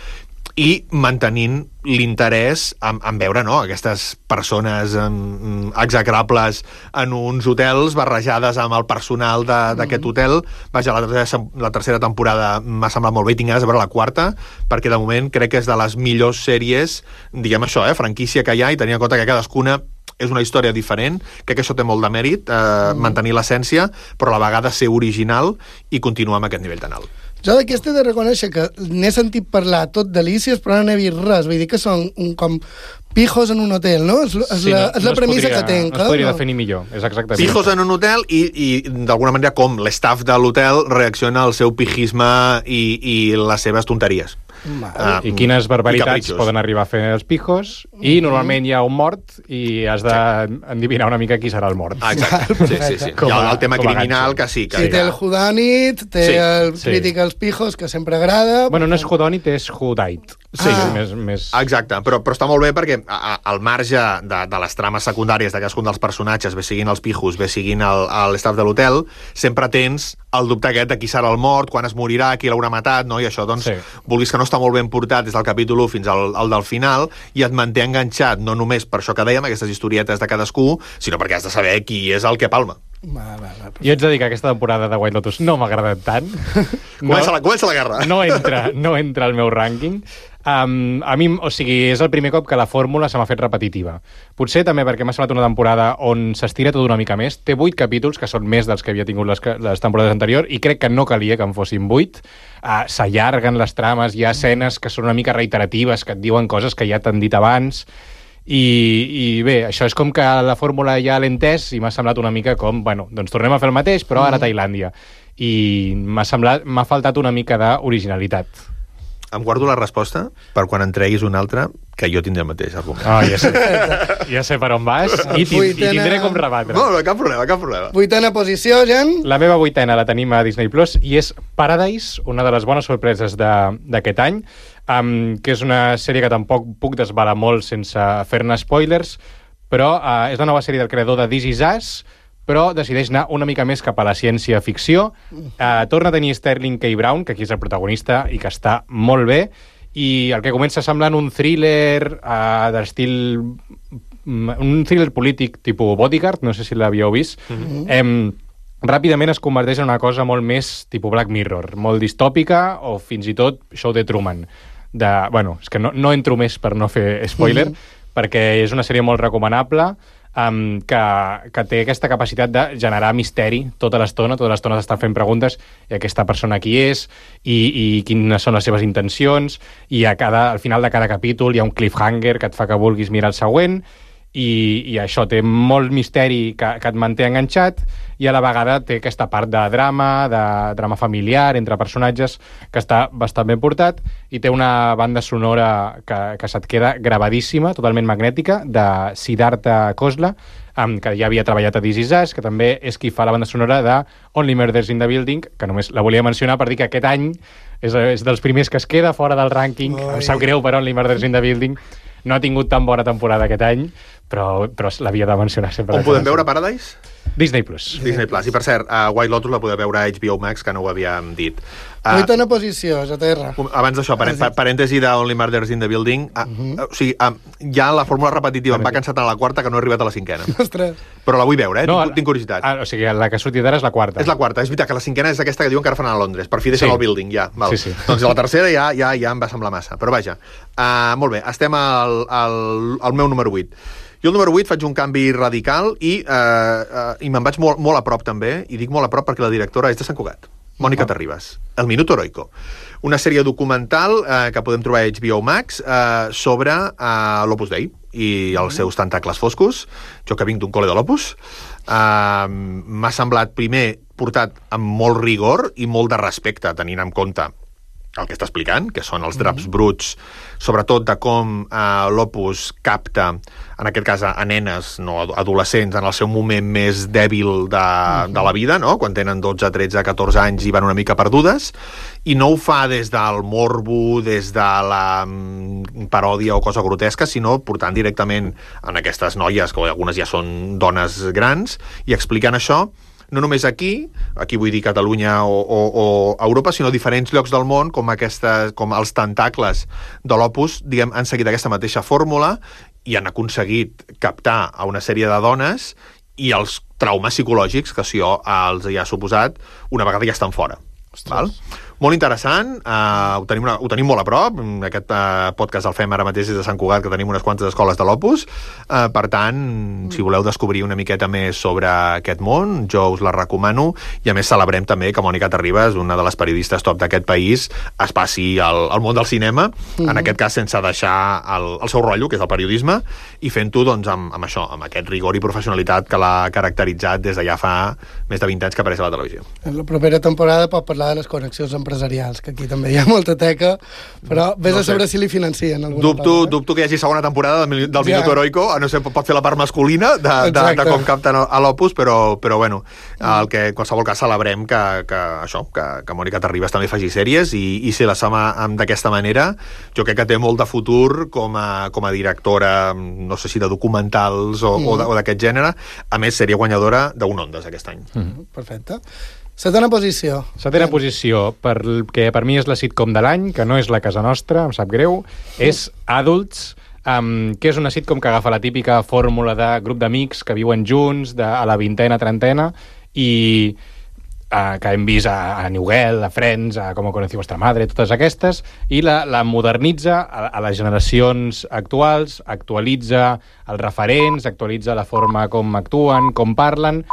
i mantenint l'interès en, en veure no, aquestes persones um, execrables en uns hotels barrejades amb el personal d'aquest mm. hotel. Vaja, la tercera, la tercera temporada m'ha semblat molt bé, tinc ganes de veure la quarta, perquè de moment crec que és de les millors sèries, diguem això, eh, franquícia que hi ha, i tenint en compte que cadascuna és una història diferent, crec que això té molt de mèrit, eh, mm. mantenir l'essència, però a la vegada ser original i continuar amb aquest nivell tan alt. Jo d'aquesta he de reconèixer que n'he sentit parlar tot delícies, però no n'he vist res. Vull dir que són un, com pijos en un hotel, no? És, és, sí, la, és no la premissa podria, que tenc. No es podria no? definir millor, és exactament. Pijos en un hotel i, i d'alguna manera com l'estaff de l'hotel reacciona al seu pijisme i, i les seves tonteries. Uh, I quines barbaritats poden arribar a fer els pijos, i normalment hi ha un mort i has d'endevinar una mica qui serà el mort. Ah, exacte, sí, sí, sí. Hi ha el tema criminal que sí. Que sí, té el whodunit, té sí, el sí. crític als pijos, que sempre agrada. Bueno, no és whodunit, és whodite. Sí, ah. més, més... Exacte, però, però està molt bé perquè a, a, al marge de, de les trames secundàries de cadascun dels personatges, bé siguin els pijos, bé siguin l'estaff de l'hotel, sempre tens el dubte aquest de qui serà el mort, quan es morirà, qui l'haurà matat, no? I això, doncs, sí. vulguis que no està molt ben portat des del capítol u fins al, al del final, i et manté enganxat, no només per això que dèiem, aquestes historietes de cadascú, sinó perquè has de saber qui és el que palma. Va, va, va. Jo ets de dir que aquesta temporada de White Lotus no m'ha agradat tant. No, Comença, la, comença la guerra. no, entra, no entra al meu rànquing. Um, a mi, o sigui, és el primer cop que la fórmula se m'ha fet repetitiva. Potser també perquè m'ha semblat una temporada on s'estira tot una mica més. Té vuit capítols, que són més dels que havia tingut les, les temporades anteriors, i crec que no calia que en fossin vuit. Uh, S'allarguen les trames, hi ha escenes que són una mica reiteratives, que et diuen coses que ja t'han dit abans. I, i bé, això és com que la fórmula ja l'he entès i m'ha semblat una mica com, bueno, doncs tornem a fer el mateix, però ara a Tailàndia. I m'ha semblat, m'ha faltat una mica d'originalitat. Em guardo la resposta per quan en treguis una altra, que jo tindré el mateix argument. Oh, ja sé, ja sé per on vas i, tind i tindré com rebatre. No, no, cap problema, cap problema. Vuitena posició, Jan. La meva vuitena la tenim a Disney Plus i és Paradise, una de les bones sorpreses d'aquest any, um, que és una sèrie que tampoc puc desvelar molt sense fer-ne spoilers, però uh, és la nova sèrie del creador de This Is Us, però decideix anar una mica més cap a la ciència-ficció. Uh, torna a tenir Sterling K. Brown, que aquí és el protagonista i que està molt bé, i el que comença semblant un thriller uh, d'estil... un thriller polític tipus Bodyguard, no sé si l'havíeu vist, mm-hmm. eh, ràpidament es converteix en una cosa molt més tipus Black Mirror, molt distòpica o fins i tot Show de Truman. De, bueno, és que no, no entro més per no fer spoiler, mm-hmm. perquè és una sèrie molt recomanable, Um, que, que té aquesta capacitat de generar misteri tota l'estona, tota l'estona d'estar fent preguntes i aquesta persona qui és i, i quines són les seves intencions, i a cada, al final de cada capítol hi ha un cliffhanger que et fa que vulguis mirar el següent, i, i això té molt misteri que, que et manté enganxat, i a la vegada té aquesta part de drama, de drama familiar entre personatges, que està bastant ben portat, i té una banda sonora que, que se't queda gravadíssima, totalment magnètica, de Siddhartha Khosla, um, que ja havia treballat a This Is Us, que també és qui fa la banda sonora de Only Murders in the Building, que només la volia mencionar per dir que aquest any és, és dels primers que es queda fora del rànquing. Em sap greu per Only Murders in the Building, no ha tingut tan bona temporada aquest any, però, però l'havia de mencionar sempre. On podem veure Paradise? Disney Plus. Disney Plus. I per cert, uh, White Lotus la podeu veure a H B O Max, que no ho havíem dit. Uh, Vuitena posició, J T R. Abans d'això, parèntesi de Only Murders in the Building, uh, uh -huh. o sigui, uh, ja la fórmula repetitiva em va cansar tant a la quarta que no he arribat a la cinquena. Ostres. Però la vull veure, eh? No, tinc, tinc curiositat. Ah, o sigui, la que ha sortit ara és la quarta. És la quarta, és veritat que la cinquena és aquesta que diuen que ara fan a Londres. Per fi deixen Sí. el building, ja. Val. Sí, sí. Doncs la tercera ja, ja, ja em va semblar massa. Però vaja, uh, molt bé, estem al, al, al meu número vuit. Jo al número vuit faig un canvi radical i, uh, uh, i me'n vaig molt, molt a prop també, i dic molt a prop perquè la directora és de Sant Cugat, Mònica Terribas, El Minuto Heroico. Una sèrie documental eh, que podem trobar a H B O Max eh, sobre eh, l'Opus Dei i els seus tentacles foscos. Jo que vinc d'un col·le de l'Opus, eh, m'ha semblat primer portat amb molt rigor i molt de respecte, tenint en compte el que està explicant, que són els draps mm-hmm. bruts, sobretot de com eh, l'Opus capta, en aquest cas a, a nenes, no adolescents, en el seu moment més dèbil de, mm-hmm. de la vida, no? Quan tenen dotze, tretze, catorze anys i van una mica perdudes, i no ho fa des del morbo, des de la mm, paròdia o cosa grotesca, sinó portant directament en aquestes noies, que algunes ja són dones grans, i explicant això, no només aquí, aquí vull dir Catalunya o, o, o Europa, sinó diferents llocs del món, com, aquesta, com els tentacles de l'Opus, diguem, han seguit aquesta mateixa fórmula i han aconseguit captar a una sèrie de dones i els traumes psicològics que això els hi ha suposat una vegada ja estan fora. Val? Molt interessant, uh, ho, tenim una, ho tenim molt a prop, aquest uh, podcast el fem ara mateix des de Sant Cugat, que tenim unes quantes escoles de l'Opus, uh, per tant, si voleu descobrir una miqueta més sobre aquest món, jo us la recomano, i a més celebrem també que Mònica Terribas, una de les periodistes top d'aquest país, es passi al, al món del cinema, mm-hmm. en aquest cas sense deixar el, el seu rotllo, que és el periodisme, i fent-ho doncs, amb, amb això, amb aquest rigor i professionalitat que l'ha caracteritzat des de ja fa més de vint anys que apareix a la televisió. En la propera temporada pot parlar de les connexions empresarials, que aquí també hi ha molta teca, però vés no a saber sé. si li financien alguna dubto, part, eh? Dubto que hi hagi segona temporada del, del ja. Minuto Heroico, a no ser pot fer la part masculina de, de, de com capten a l'Opus, però, però bueno, el que en qualsevol cas celebrem que, que això, que, que Mònica Terribas també faci sèries i, i si la sama d'aquesta manera, jo crec que té molt de futur com a, com a directora, no sé si de documentals o, mm. o d'aquest gènere. A més, seria guanyadora d'un Ondas aquest any. Mm. Perfecte. Setena posició. Setena sí. posició, perquè per mi és la sitcom de l'any, que no és La Casa Nostra, em sap greu, és Adults, um, que és una sitcom que agafa la típica fórmula de grup d'amics que viuen junts de, a la vintena, trentena, i Uh, que hem vist a, a New Girl, a Friends, a Com conocí vostra madre, totes aquestes, i la, la modernitza a, a les generacions actuals, actualitza els referents, actualitza la forma com actuen, com parlen,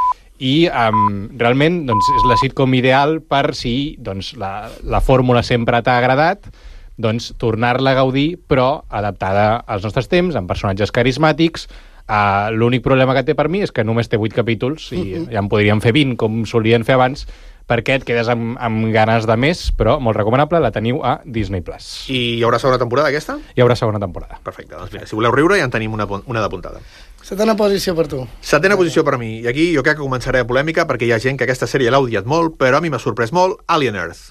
i um, realment doncs, és la sitcom ideal per si doncs, la, la fórmula sempre t'ha agradat, doncs tornar-la a gaudir, però adaptada als nostres temps, amb personatges carismàtics. Uh, l'únic problema que té per mi és que només té vuit capítols i uh-huh. ja en podríem fer vint, com solien fer abans, perquè et quedes amb, amb ganes de més, però molt recomanable, la teniu a Disney Plus. I hi haurà segona temporada, aquesta? Hi haurà segona temporada. Perfecte, doncs mira, si voleu riure ja en tenim una, una d'apuntada. Setena posició per tu. Setena posició per mi, i aquí jo crec que començaré a polèmica perquè hi ha gent que aquesta sèrie l'ha odiat molt, però a mi m'ha sorprès molt, Alien Earth.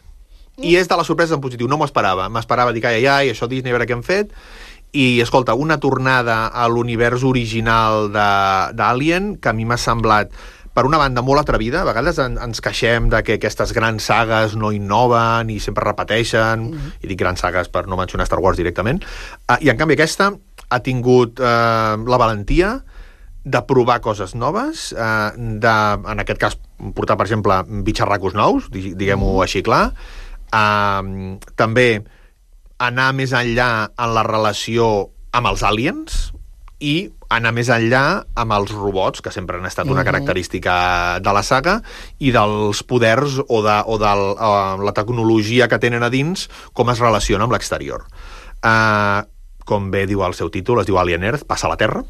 I és de la sorpresa en positiu, no m'ho esperava. M'esperava dir que ai, ai, això Disney, a veure què hem fet. I, escolta, una tornada a l'univers original d'Alien que a mi m'ha semblat, per una banda, molt atrevida. A vegades en, ens queixem de que aquestes grans sagues no innoven i sempre repeteixen, mm-hmm. i dic grans sagues per no mencionar Star Wars directament, uh, i en canvi aquesta ha tingut uh, la valentia de provar coses noves, uh, de, en aquest cas, portar, per exemple, bitxarracos nous, diguem-ho mm-hmm. així clar, uh, també anar més enllà en la relació amb els aliens i anar més enllà amb els robots, que sempre han estat una característica de la saga, i dels poders o de, o de la tecnologia que tenen a dins, com es relaciona amb l'exterior. Uh, com bé diu el seu títol, es diu Alien Earth, passa a la Terra,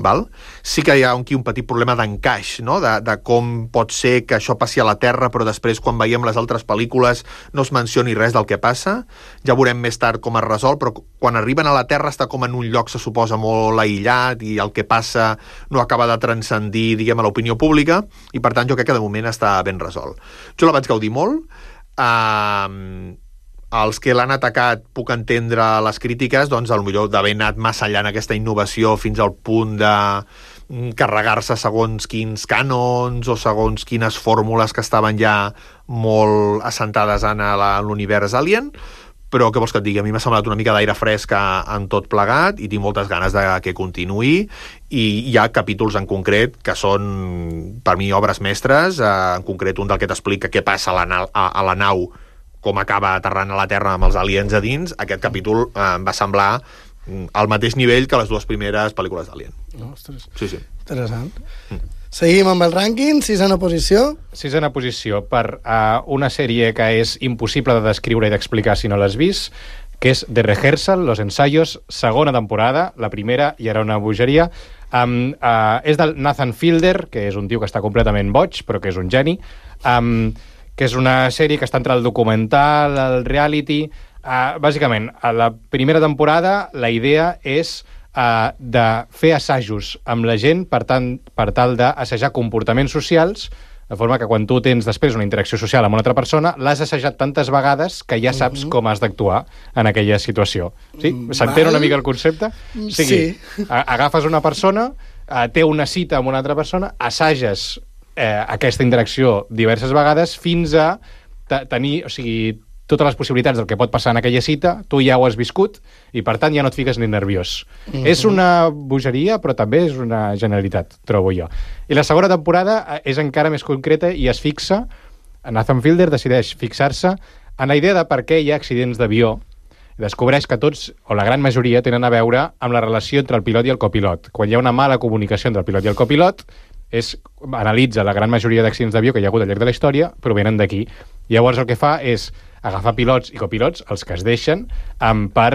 val? Sí que hi ha aquí un petit problema d'encaix, no? de, de com pot ser que això passi a la Terra, però després quan veiem les altres pel·lícules no es mencioni res del que passa. Ja veurem més tard com es resol, però quan arriben a la Terra està com en un lloc, se suposa, molt aïllat, i el que passa no acaba de transcendir, diguem, a l'opinió pública, i per tant jo crec que de moment està ben resolt. Jo la vaig gaudir molt. Uh, els que l'han atacat puc entendre les crítiques, doncs potser d'haver anat massa enllà en aquesta innovació fins al punt de carregar-se segons quins cànons o segons quines fórmules que estaven ja molt assentades en l'univers Alien, però què vols que et digui? A mi m'ha semblat una mica d'aire fresc en tot plegat i tinc moltes ganes de que continuï, i hi ha capítols en concret que són per mi obres mestres, en concret un del que t'explica què passa a la, na a, a la nau, com acaba aterrant a la Terra amb els aliens a dins. Aquest capítol eh, em va semblar al mateix nivell que les dues primeres pel·lícules d'Alien. Ostres, sí, sí. Interessant. Mm. Seguim amb el rànquing, sisena posició. Sisena posició per uh, una sèrie que és impossible de descriure i d'explicar si no l'has vist, que és The Rehearsal, Los Ensayos, segona temporada. La primera ja era una bogeria. Um, uh, és del Nathan Fielder, que és un tio que està completament boig, però que és un geni. Um, que és una sèrie que està entre el documental, el reality. Uh, bàsicament, a la primera temporada la idea és uh, de fer assajos amb la gent per, tant, per tal d'assajar comportaments socials, de forma que quan tu tens després una interacció social amb una altra persona, l'has assajat tantes vegades que ja saps uh-huh. com has d'actuar en aquella situació. Sí? S'entén una mica el concepte? O sigui, sí. Agafes una persona, uh, té una cita amb una altra persona, assages Eh, aquesta interacció diverses vegades fins a tenir, o sigui, totes les possibilitats del que pot passar en aquella cita, tu ja ho has viscut i per tant ja no et fiques ni nerviós. Mm-hmm. És una bogeria, però també és una generalitat, trobo jo. I la segona temporada és encara més concreta i es fixa, Nathan Fielder decideix fixar-se en la idea de per què hi ha accidents d'avió, i descobreix que tots, o la gran majoria, tenen a veure amb la relació entre el pilot i el copilot. Quan hi ha una mala comunicació entre el pilot i el copilot, és, analitza la gran majoria d'accidents d'avió que hi ha hagut al llarg de la història, provenen d'aquí. Llavors el que fa és agafar pilots i copilots, els que es deixen, um, per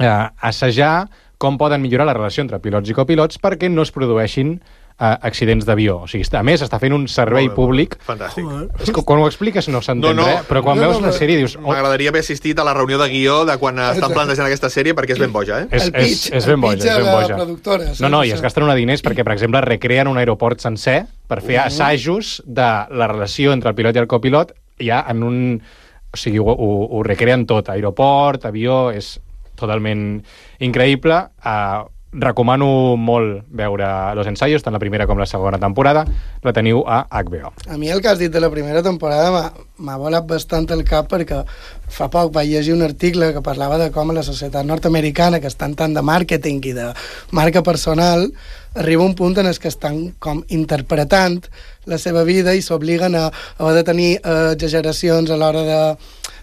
eh, assajar com poden millorar la relació entre pilots i copilots perquè no es produeixin uh, accidents d'avió. O sigui, a més, està fent un servei bé, públic. Fantàstic. És que quan ho expliques no s'entén no, no, res, però quan no, veus no, la sèrie dius... Oh. M'agradaria haver assistit a la reunió de guió de quan estan plantejant aquesta sèrie perquè és ben boja, eh? És, el pitch, és, és ben boja, és ben boja. Productora, no, no, i es gasten una diners perquè, per exemple, recreen un aeroport sencer per fer uh -huh. assajos de la relació entre el pilot i el copilot ja en un... O sigui, ho, ho, ho recreen tot. Aeroport, avió, és totalment increïble. Uh, recomano molt veure Los Ensayos, tant la primera com la segona temporada. La teniu a H B O. A mi el que has dit de la primera temporada m'ha volat bastant el cap, perquè fa poc vaig llegir un article que parlava de com a la societat nord-americana, que estan tant de màrqueting i de marca personal, arriba un punt en el que estan com interpretant la seva vida i s'obliguen a, a de tenir eh, exageracions a l'hora de,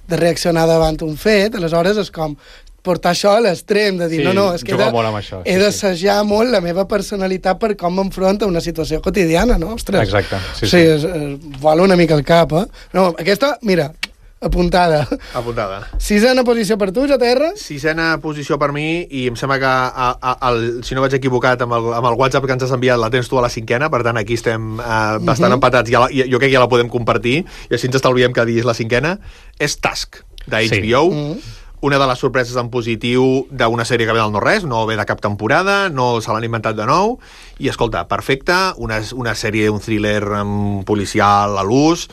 de reaccionar davant un fet. Aleshores és com portar això a l'extrem, de dir, sí, no, no, és que he de, això, sí, he d'assajar sí. molt la meva personalitat per com m'enfronta a una situació quotidiana, no? Ostres. Exacte. Sí, sí. sí es, es vola una mica el cap, eh? No, aquesta, mira, apuntada. Apuntada. Sisena posició per tu, J R? Sisena posició per mi, i em sembla que, a, a, el, si no vaig equivocat, amb el, amb el WhatsApp que ens has enviat la tens tu a la cinquena, per tant aquí estem eh, bastant uh -huh. empatats, ja la, jo crec que ja la podem compartir, i així ens estalviem que diguis la cinquena. És Task, de H B O. Sí. Uh -huh. Una de les sorpreses en positiu d'una sèrie que ve del no-res, no ve de cap temporada, no se l'han inventat de nou, i escolta, perfecta, una, una sèrie, un thriller um, policial a l'ús.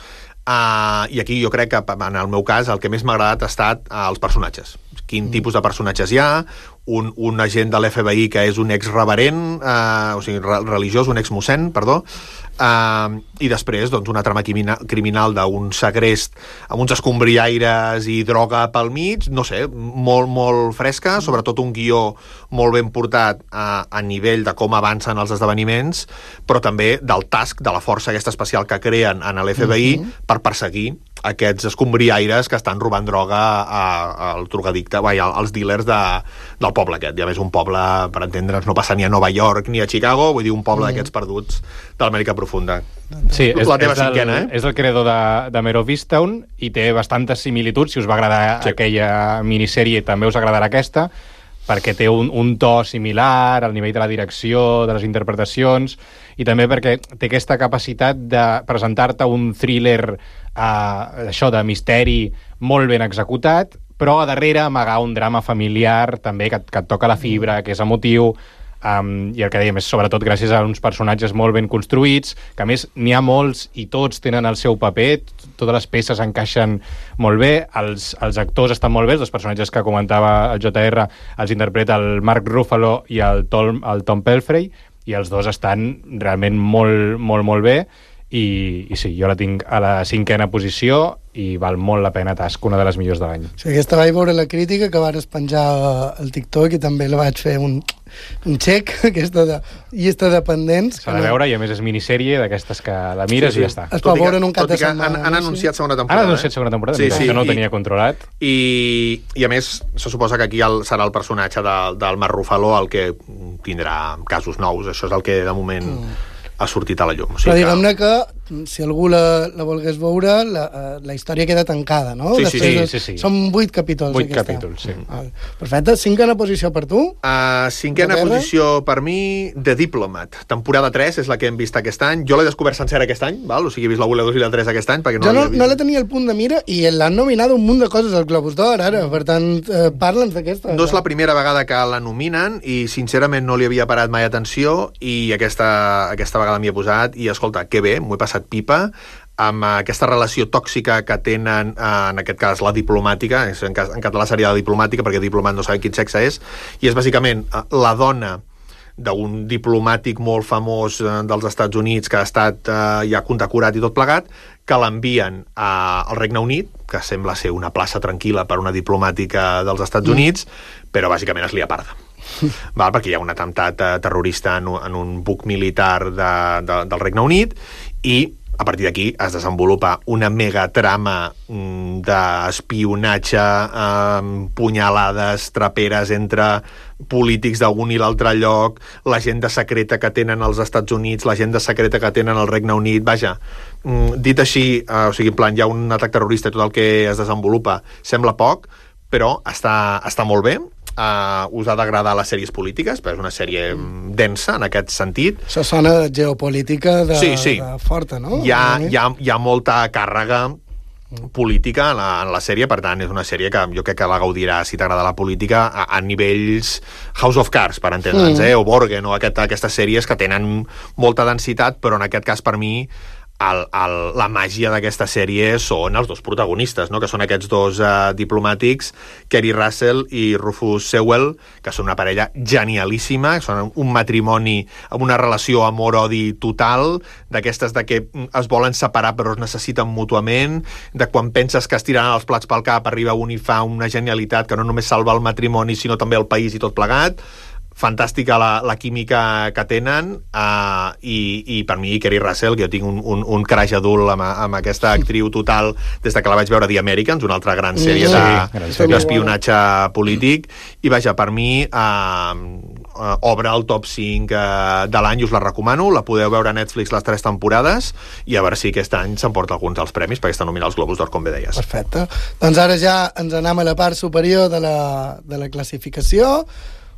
Uh, i aquí jo crec que en el meu cas el que més m'ha agradat ha estat uh, els personatges. Quin mm. tipus de personatges hi ha, un, un agent de l'F B I que és un ex-reverent, uh, o sigui, re religiós, un ex-mossèn, perdó, uh, i després doncs, una trama criminal, criminal d'un segrest amb uns escombriaires i droga pel mig, no sé, molt, molt fresca, sobretot un guió molt ben portat a, a nivell de com avancen els esdeveniments, però també del task, de la força aquesta especial que creen en l'F B I mm-hmm. per perseguir aquests escombriaires que estan robant droga al drogadicte, vai, als dealers de, del poble aquest. I a més un poble, per entendre'ns, no passa ni a Nova York ni a Chicago, vull dir un poble mm. d'aquests perduts de l'Amèrica profunda. Sí, és, la teva és, el, cinquena, eh? és el creador de, de Mare of Easttown i té bastantes similituds. Si us va agradar sí. aquella minissèrie, també us agradarà aquesta, perquè té un, un to similar al nivell de la direcció, de les interpretacions, i també perquè té aquesta capacitat de presentar-te un thriller uh, això de misteri molt ben executat, però a darrere amagar un drama familiar també que, que et toca la fibra, que és emotiu, um, i el que dèiem és sobretot gràcies a uns personatges molt ben construïts, que a més n'hi ha molts i tots tenen el seu paper, totes les peces encaixen molt bé, els, els actors estan molt bé, els personatges que comentava el J R els interpreta el Mark Ruffalo i el Tom, el Tom Pelfrey, i els dos estan realment molt, molt, molt bé, i, i sí, jo la tinc a la cinquena posició i val molt la pena Task, una de les millors de l'any. Sí, aquesta vaig veure la crítica que van penjar al TikTok i també la vaig fer un, un check, aquesta de, llista de pendents. S'ha de veure, no... i a més és minissèrie d'aquestes que la mires sí, sí. i ja està. Es pot veure en un cap de setmana. Han, han anunciat segona temporada. Han anunciat segona temporada, sí, sí, que no ho i, tenia controlat. I, i a més, se suposa que aquí el, serà el personatge de, del Mark Ruffalo el que tindrà casos nous. Això és el que de moment... Mm. ha sortit a la llum. O sigui però diguem-ne que, que si algú la, la volgués veure, la, la història queda tancada, no? Sí, sí, sí, sí, sí. Són vuit capítols. Vuit capítols, sí. Vale. Perfecte. Cinquena posició per tu? Uh, cinquena posició per mi, The Diplomat. Temporada tres és la que hem vist aquest any. Jo l'he descobert sencera aquest any, val? O sigui, he vist la u, la dos i la tres aquest any. Perquè no jo no, no la tenia al punt de mira i l'han nominat un munt de coses al Globus d'Or, ara. Per tant, eh, parla'ns d'aquesta. No és la primera vegada que la nominen i, sincerament, no li havia parat mai atenció i aquesta, aquesta vegada m'hi he posat i, escolta, que bé, m'ho he passat pipa amb aquesta relació tòxica que tenen, eh, en aquest cas la diplomàtica, en, cas, en català seria la diplomàtica perquè diplomat no sabem quin sexe és, i és bàsicament la dona d'un diplomàtic molt famós eh, dels Estats Units que ha estat eh, ja condecorat i tot plegat, que l'envien eh, al Regne Unit, que sembla ser una plaça tranquil·la per una diplomàtica dels Estats Units, mm. però bàsicament es lia parda. Val, perquè hi ha un atemptat eh, terrorista en un, en un buc militar de, de, del Regne Unit i a partir d'aquí es desenvolupa una megatrama mm, d'espionatge, eh, punyalades, traperes entre polítics d'un i l'altre lloc, l'agenda secreta que tenen els Estats Units, l'agenda secreta que tenen el Regne Unit, vaja, mm, dit així, eh, o sigui, en plan, hi ha un atac terrorista i tot el que es desenvolupa sembla poc, però està, està molt bé. Uh, us ha d'agradar les sèries polítiques, perquè és una sèrie densa en aquest sentit. Això sona de geopolítica de, sí, sí. de forta, no? Hi ha, hi, ha, hi ha molta càrrega política en la, en la sèrie, per tant és una sèrie que jo crec que la gaudirà si t'agrada la política a, a nivells House of Cards, per entendre'ns, mm. eh? o Borgen, o aquest, aquestes sèries que tenen molta densitat, però en aquest cas per mi el, el, la màgia d'aquesta sèrie són els dos protagonistes, no? Que són aquests dos uh, diplomàtics, Keri Russell i Rufus Sewell, que són una parella genialíssima, són un matrimoni amb una relació amor-odi total, d'aquestes de que es volen separar però es necessiten mútuament, de quan penses que es tiraran els plats pel cap arriba un i fa una genialitat que no només salva el matrimoni sinó també el país i tot plegat. Fantàstica la, la química que tenen, uh, i, i per mi Keri Russell, que jo tinc un, un, un crash adult amb, amb aquesta actriu total des de que la vaig veure a The Americans, una altra gran sèrie sí, d'espionatge polític, i vaja, per mi uh, uh, obre el top cinc uh, de l'any, us la recomano, la podeu veure a Netflix les tres temporades, i a veure si aquest any s'emporta alguns dels premis, perquè està nominat als Globus d'Or, com bé deies. Perfecte. Doncs ara ja ens anem a la part superior de la, de la classificació.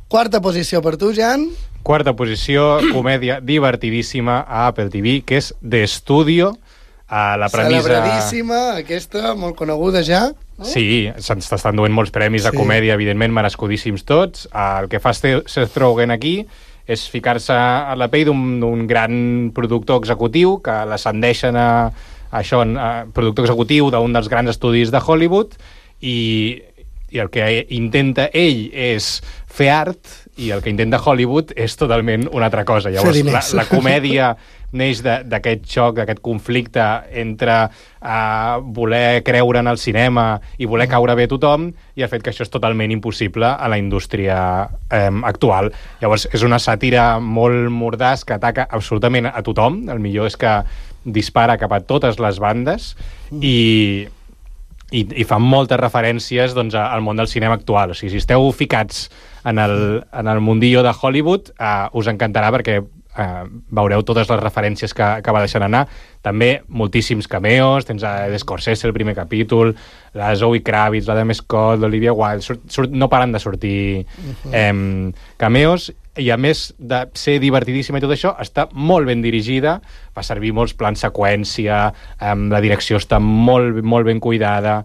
Quarta posició per tu, Jan. Quarta posició, comèdia divertidíssima a Apple T V, que és The Studio. A la premissa... Celebradíssima, aquesta, molt coneguda ja. No? Sí, se'ns estan duent molts premis sí. a comèdia, evidentment, merescudíssims tots. El que fa Seth Rogen aquí és ficar-se a la pell d'un gran productor executiu, que l'ascendeixen a, a això, a productor executiu d'un dels grans estudis de Hollywood, i... i el que intenta ell és fer art i el que intenta Hollywood és totalment una altra cosa. Llavors, la, la comèdia neix d'aquest xoc, d'aquest conflicte entre uh, voler creure en el cinema i voler caure bé a tothom i el fet que això és totalment impossible a la indústria um, actual. Llavors, és una sàtira molt mordaç que ataca absolutament a tothom. El millor és que dispara cap a totes les bandes i... I, i fan moltes referències doncs, al món del cinema actual. O sigui, si esteu ficats en el, en el mundillo de Hollywood, uh, us encantarà perquè uh, veureu totes les referències que, que va deixant anar. També moltíssims cameos, tens a Ed Scorsese el primer capítol, la Zoe Kravitz, la Adam Scott, l'Olivia Wilde, surt, surt, no paren de sortir uh-huh. eh, cameos, i a més de ser divertidíssima i tot això, està molt ben dirigida, fa servir molts plans seqüència, eh, la direcció està molt, molt ben cuidada,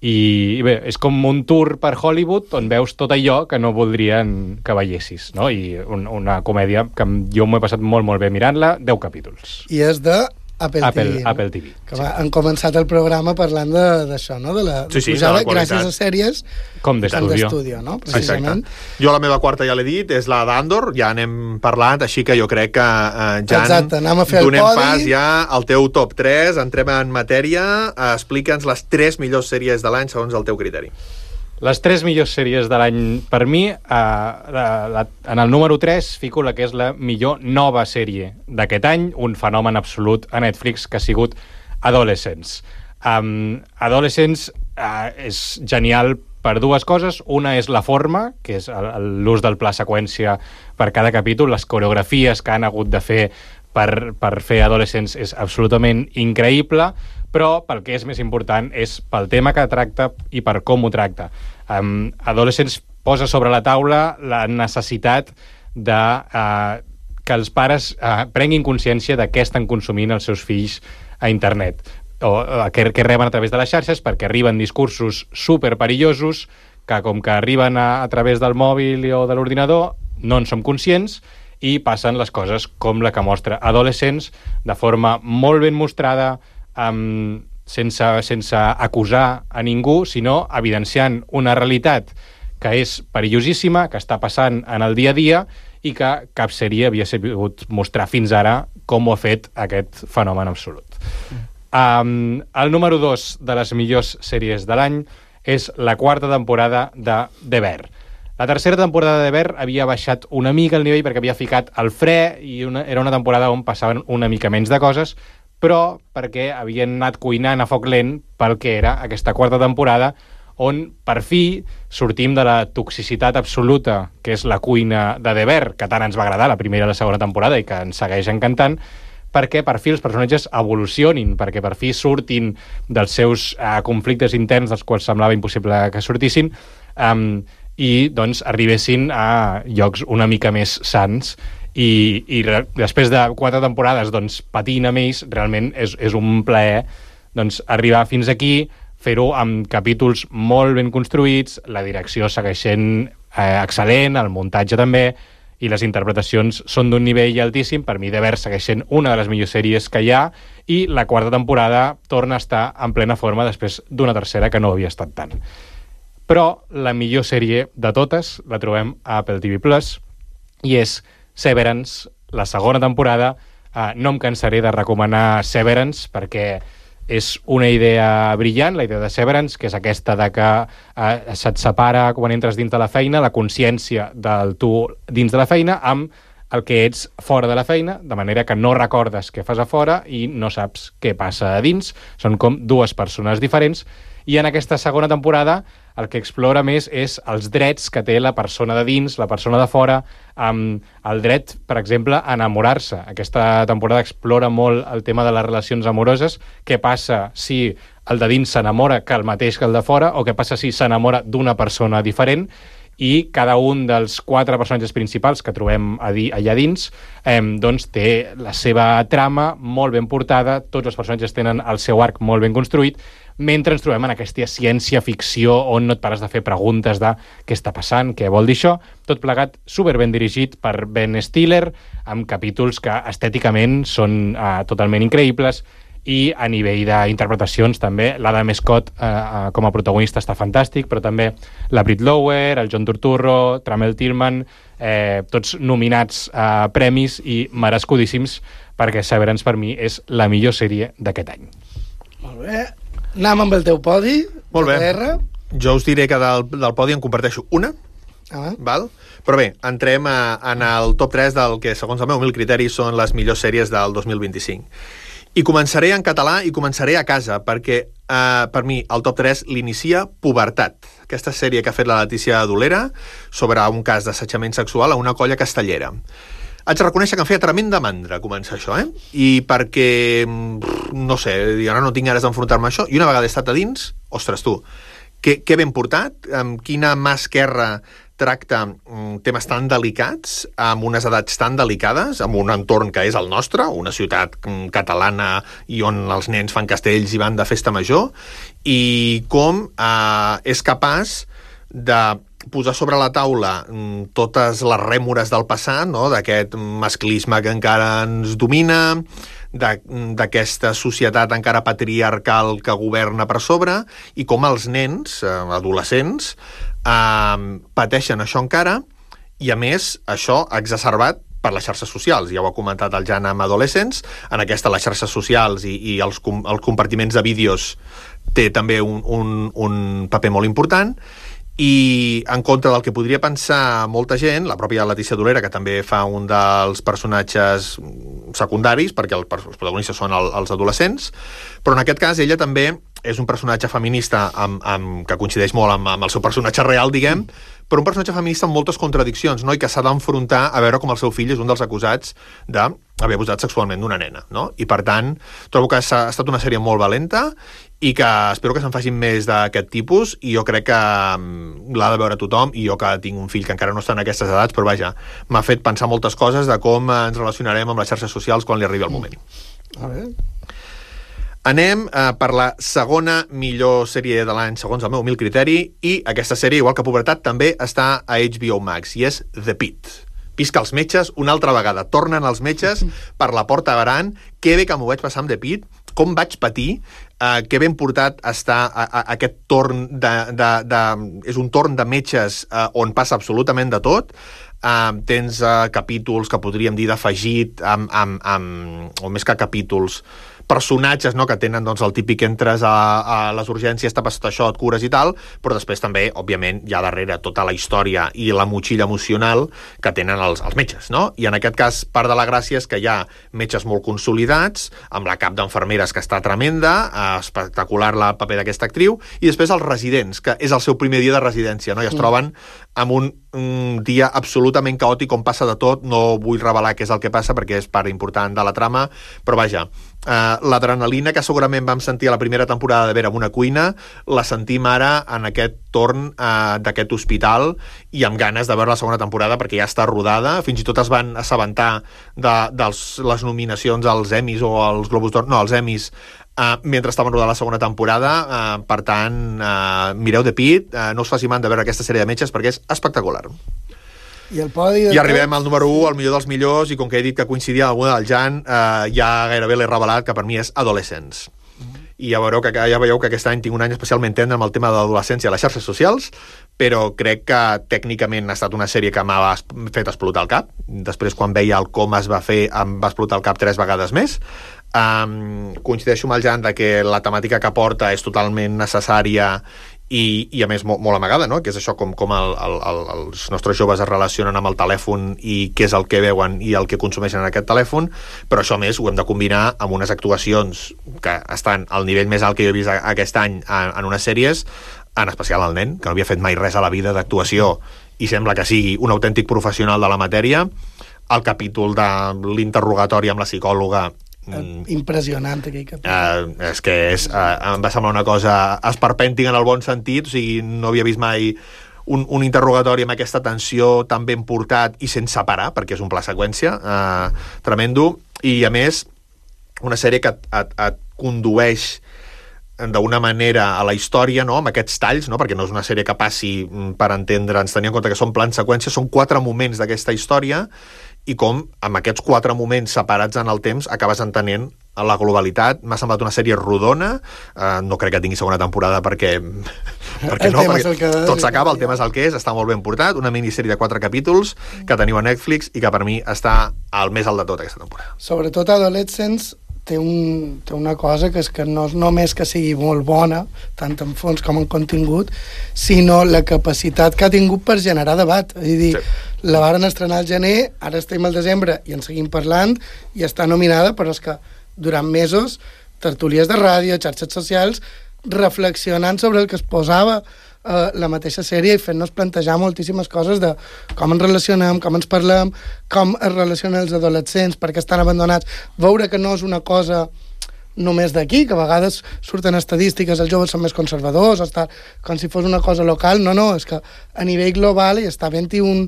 i, i bé, és com un tour per Hollywood on veus tot allò que no voldrien que veiessis, no? I un, una comèdia que jo m'ho he passat molt, molt bé mirant-la, deu capítols. I és de Apple, Apple, T V, no? Apple T V. Que va, sí. Han començat el programa parlant d'això, no? De la sí, sí, pujada de la gràcies a sèries com d'estudio, no? Precisament. Exacte. Jo la meva quarta ja l'he dit, és la d'Andor, ja n'hem parlat, així que jo crec que eh, Jan, exacte, anem a fer donem el podi. pas ja al teu top tres, entrem en matèria, eh, explica'ns les tres millors sèries de l'any segons el teu criteri. Les tres millors sèries de l'any per mi, eh, la, la, en el número tres fico la que és la millor nova sèrie d'aquest any, un fenomen absolut a Netflix que ha sigut Adolescents. Um, Adolescents uh, és genial per dues coses. Una és la forma, que és l'ús del pla seqüència per cada capítol, les coreografies que han hagut de fer per, per fer Adolescents és absolutament increïble, però pel que és més important és pel tema que tracta i per com ho tracta. Um, Adolescents posa sobre la taula la necessitat de uh, que els pares uh, prenguin consciència de què estan consumint els seus fills a internet, o uh, que, que reben a través de les xarxes, perquè arriben discursos superperillosos que, com que arriben a, a través del mòbil o de l'ordinador, no en som conscients i passen les coses com la que mostra Adolescents, de forma molt ben mostrada, Um, sense, sense acusar a ningú, sinó evidenciant una realitat que és perillosíssima, que està passant en el dia a dia i que cap sèrie havia sabut mostrar fins ara com ho ha fet aquest fenomen absolut. Um, el número dos de les millors sèries de l'any és la quarta temporada de The Bear. La tercera temporada de The Bear havia baixat una mica el nivell perquè havia ficat el fre i una, era una temporada on passaven una mica menys de coses, però perquè havien anat cuinant a foc lent pel que era aquesta quarta temporada, on per fi sortim de la toxicitat absoluta que és la cuina de The Bear, que tant ens va agradar la primera i la segona temporada i que ens segueix encantant, perquè per fi els personatges evolucionin, perquè per fi surtin dels seus uh, conflictes interns dels quals semblava impossible que sortissin, um, i doncs arribessin a llocs una mica més sans. I, i re, després de quatre temporades doncs, patint amb ells, realment és, és un plaer doncs, arribar fins aquí, fer-ho amb capítols molt ben construïts, la direcció segueix sent eh, excel·lent, el muntatge també, i les interpretacions són d'un nivell altíssim. Per mi, The Bear segueix sent una de les millors sèries que hi ha, i la quarta temporada torna a estar en plena forma després d'una tercera que no havia estat tant. Però la millor sèrie de totes la trobem a Apple T V Plus, i és Severance, la segona temporada. Uh, no em cansaré de recomanar Severance perquè és una idea brillant, la idea de Severance, que és aquesta de que uh, se't separa quan entres dins de la feina, la consciència del tu dins de la feina amb el que ets fora de la feina, de manera que no recordes què fas a fora i no saps què passa a dins. Són com dues persones diferents, i en aquesta segona temporada el que explora més és els drets que té la persona de dins, la persona de fora, amb el dret, per exemple, a enamorar-se. Aquesta temporada explora molt el tema de les relacions amoroses, què passa si el de dins s'enamora que el mateix que el de fora, o què passa si s'enamora d'una persona diferent, i cada un dels quatre personatges principals que trobem allà dins eh, doncs té la seva trama molt ben portada, tots els personatges tenen el seu arc molt ben construït, mentre ens trobem en aquesta ciència-ficció on no et pares de fer preguntes de què està passant, què vol dir això, tot plegat super ben dirigit per Ben Stiller, amb capítols que estèticament són eh, totalment increïbles, i a nivell d'interpretacions també l'Adam Scott eh, com a protagonista està fantàstic, però també la Britt Lower, el John Turturro, Tramell Tillman, eh, tots nominats a premis i merescudíssims, perquè Severance per mi és la millor sèrie d'aquest any. Molt bé. Anem amb el teu podi. Molt bé. R. Jo us diré que del, del podi en comparteixo una, ah. val? Però bé, entrem a, en el top tres del que, segons el meu humil criteri, són les millors sèries del dos mil vint-i-cinc. I començaré en català i començaré a casa, perquè eh, per mi el top tres l'inicia Pubertat, aquesta sèrie que ha fet la Letícia Dolera sobre un cas d'assetjament sexual a una colla castellera. Haig de reconèixer que em feia tremenda mandra començar això, eh? I perquè, no sé, ara no tinc ganes d'enfrontar-me a això, i una vegada he estat a dins, ostres tu, que, que ben portat, amb quina mà esquerra tracta mm, temes tan delicats, amb unes edats tan delicades, amb un entorn que és el nostre, una ciutat mm, catalana i on els nens fan castells i van de festa major, i com eh, és capaç de posar sobre la taula mm, totes les rèmores del passat, no? D'aquest masclisme que encara ens domina, d'aquesta societat encara patriarcal que governa per sobre, i com els nens, eh, adolescents, eh, pateixen això encara, i a més això exacerbat per les xarxes socials. Ja ho ha comentat el Jan amb Adolescents, en aquesta les xarxes socials i, i els, com, els compartiments de vídeos té també un, un, un paper molt important, i en contra del que podria pensar molta gent, la pròpia Letícia Dolera, que també fa un dels personatges secundaris, perquè el, els protagonistes són el, els adolescents, però en aquest cas ella també és un personatge feminista amb, amb, que coincideix molt amb, amb el seu personatge real, diguem, però un personatge feminista amb moltes contradiccions, no? I que s'ha d'enfrontar a veure com el seu fill és un dels acusats d'haver abusat sexualment d'una nena, no? I per tant, trobo que ha estat una sèrie molt valenta i que espero que se'n facin més d'aquest tipus, i jo crec que l'ha de veure tothom, i jo que tinc un fill que encara no està en aquestes edats, però vaja, m'ha fet pensar moltes coses de com ens relacionarem amb les xarxes socials quan li arribi el moment. A veure... Anem eh, per la segona millor sèrie de l'any, segons el meu humil criteri, i aquesta sèrie, igual que Pubertat, també està a H B O Max, i és The Pitt. Pisca els metges una altra vegada. Tornen els metges per la porta barant. Que bé que m'ho vaig passar amb The Pitt, com vaig patir, eh, que ben portat està a, a, a aquest torn de, de, de... És un torn de metges eh, on passa absolutament de tot. Uh, tens uh, capítols que podríem dir d'afegit, amb, amb, amb, o més que capítols, personatges, no?, que tenen doncs, el típic entres a, a les urgències, tapes tot això, et cures i tal, però després també, òbviament, hi ha darrere tota la història i la motxilla emocional que tenen els, els metges, no? I en aquest cas, part de la gràcia és que hi ha metges molt consolidats, amb la cap d'enfermeres que està tremenda, eh, espectacular el paper d'aquesta actriu, i després els residents, que és el seu primer dia de residència, no? I es troben amb un, un dia absolutament caòtic on passa de tot. No vull revelar què és el que passa perquè és part important de la trama, però vaja, Uh, l'adrenalina que segurament vam sentir a la primera temporada de Vera en una cuina, la sentim ara en aquest torn uh, d'aquest hospital, i amb ganes de veure la segona temporada perquè ja està rodada. Fins i tot es van assabentar de, de les nominacions als Emmys o als Globus d'Or, no, als Emmys, uh, mentre estaven rodant la segona temporada. Uh, per tant, uh, mireu The Pitt, uh, no us faci mandra de veure aquesta sèrie de metges perquè és espectacular. I el podi de I arribem al número u, al millor dels millors, i com que he dit que coincidia amb alguna del Jan, eh, ja gairebé l'he revelat, que per mi és Adolescents. I ja veureu, que, ja veieu que aquest any tinc un any especialment tendre amb el tema de l'adolescència a les xarxes socials, però crec que tècnicament ha estat una sèrie que m'ha fet explotar el cap. Després, quan veia el com es va fer, em va explotar el cap tres vegades més. Um, coincideixo amb el Jan de que la temàtica que porta és totalment necessària i, i a més molt, molt amagada, no? Que és això com, com el, el, el, els nostres joves es relacionen amb el telèfon i què és el que veuen i el que consumeixen en aquest telèfon, però això a més ho hem de combinar amb unes actuacions que estan al nivell més alt que jo he vist aquest any en, en unes sèries, en especial el nen, que no havia fet mai res a la vida d'actuació i sembla que sigui un autèntic professional de la matèria. El capítol de l'interrogatori amb la psicòloga, impressionant aquell capítol. Uh, és que és, uh, em va semblar una cosa esperpèntic en el bon sentit, o sigui, no havia vist mai un, un interrogatori amb aquesta tensió tan ben portat i sense parar, perquè és un pla seqüència uh, tremendo, i a més una sèrie que et, et, et condueix d'una manera a la història, no? Amb aquests talls, no? Perquè no és una sèrie que passi per entendre'ns, tenint en compte que són plans seqüència, són quatre moments d'aquesta història, i com amb aquests quatre moments separats en el temps acabes entenent la globalitat. M'ha semblat una sèrie rodona, uh, no crec que tingui segona temporada perquè, perquè no, perquè tot s'acaba, el tema és el que és, està molt ben portat, una minissèrie de quatre capítols que teniu a Netflix i que per mi està al més alt de tot aquesta temporada. Sobretot Adolescents té, un, té una cosa que és que no és només que sigui molt bona, tant en fons com en contingut, sinó la capacitat que ha tingut per generar debat. És a dir, sí. La varen estrenar al gener, ara estem al desembre i en seguim parlant, i està nominada, però és que durant mesos, tertúlies de ràdio, xarxes socials, reflexionant sobre el que es posava eh, la mateixa sèrie i fent-nos plantejar moltíssimes coses de com ens relacionem, com ens parlem, com es relacionen els adolescents, perquè estan abandonats, veure que no és una cosa només d'aquí, que a vegades surten estadístiques, els joves són més conservadors, està, com si fos una cosa local. No, no, és que a nivell global hi està havent-hi un,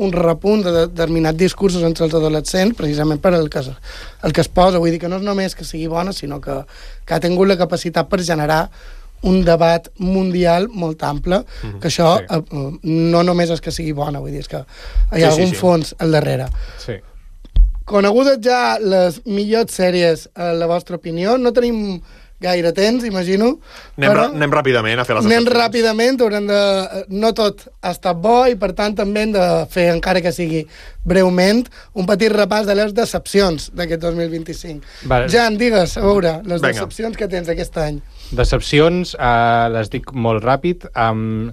un repunt de determinats discursos entre els adolescents, precisament per el que, el que es posa. Vull dir que no és només que sigui bona, sinó que, que ha tingut la capacitat per generar un debat mundial molt ample, mm-hmm. que això sí. eh, no només és que sigui bona, vull dir, és que hi ha sí, algun sí, sí. fons al darrere. Sí. Conegudes ja les millors sèries, a la vostra opinió, no tenim gaire temps, imagino. Anem, però anem ràpidament a fer les anem ràpidament, haurem de... No tot ha estat bo i, per tant, també hem de fer, encara que sigui breument, un petit repàs de les decepcions d'aquest dos mil vint-i-cinc. Vale. Jan, digues, a veure, les Venga. decepcions que tens aquest any. Decepcions, eh, les dic molt ràpid. Um,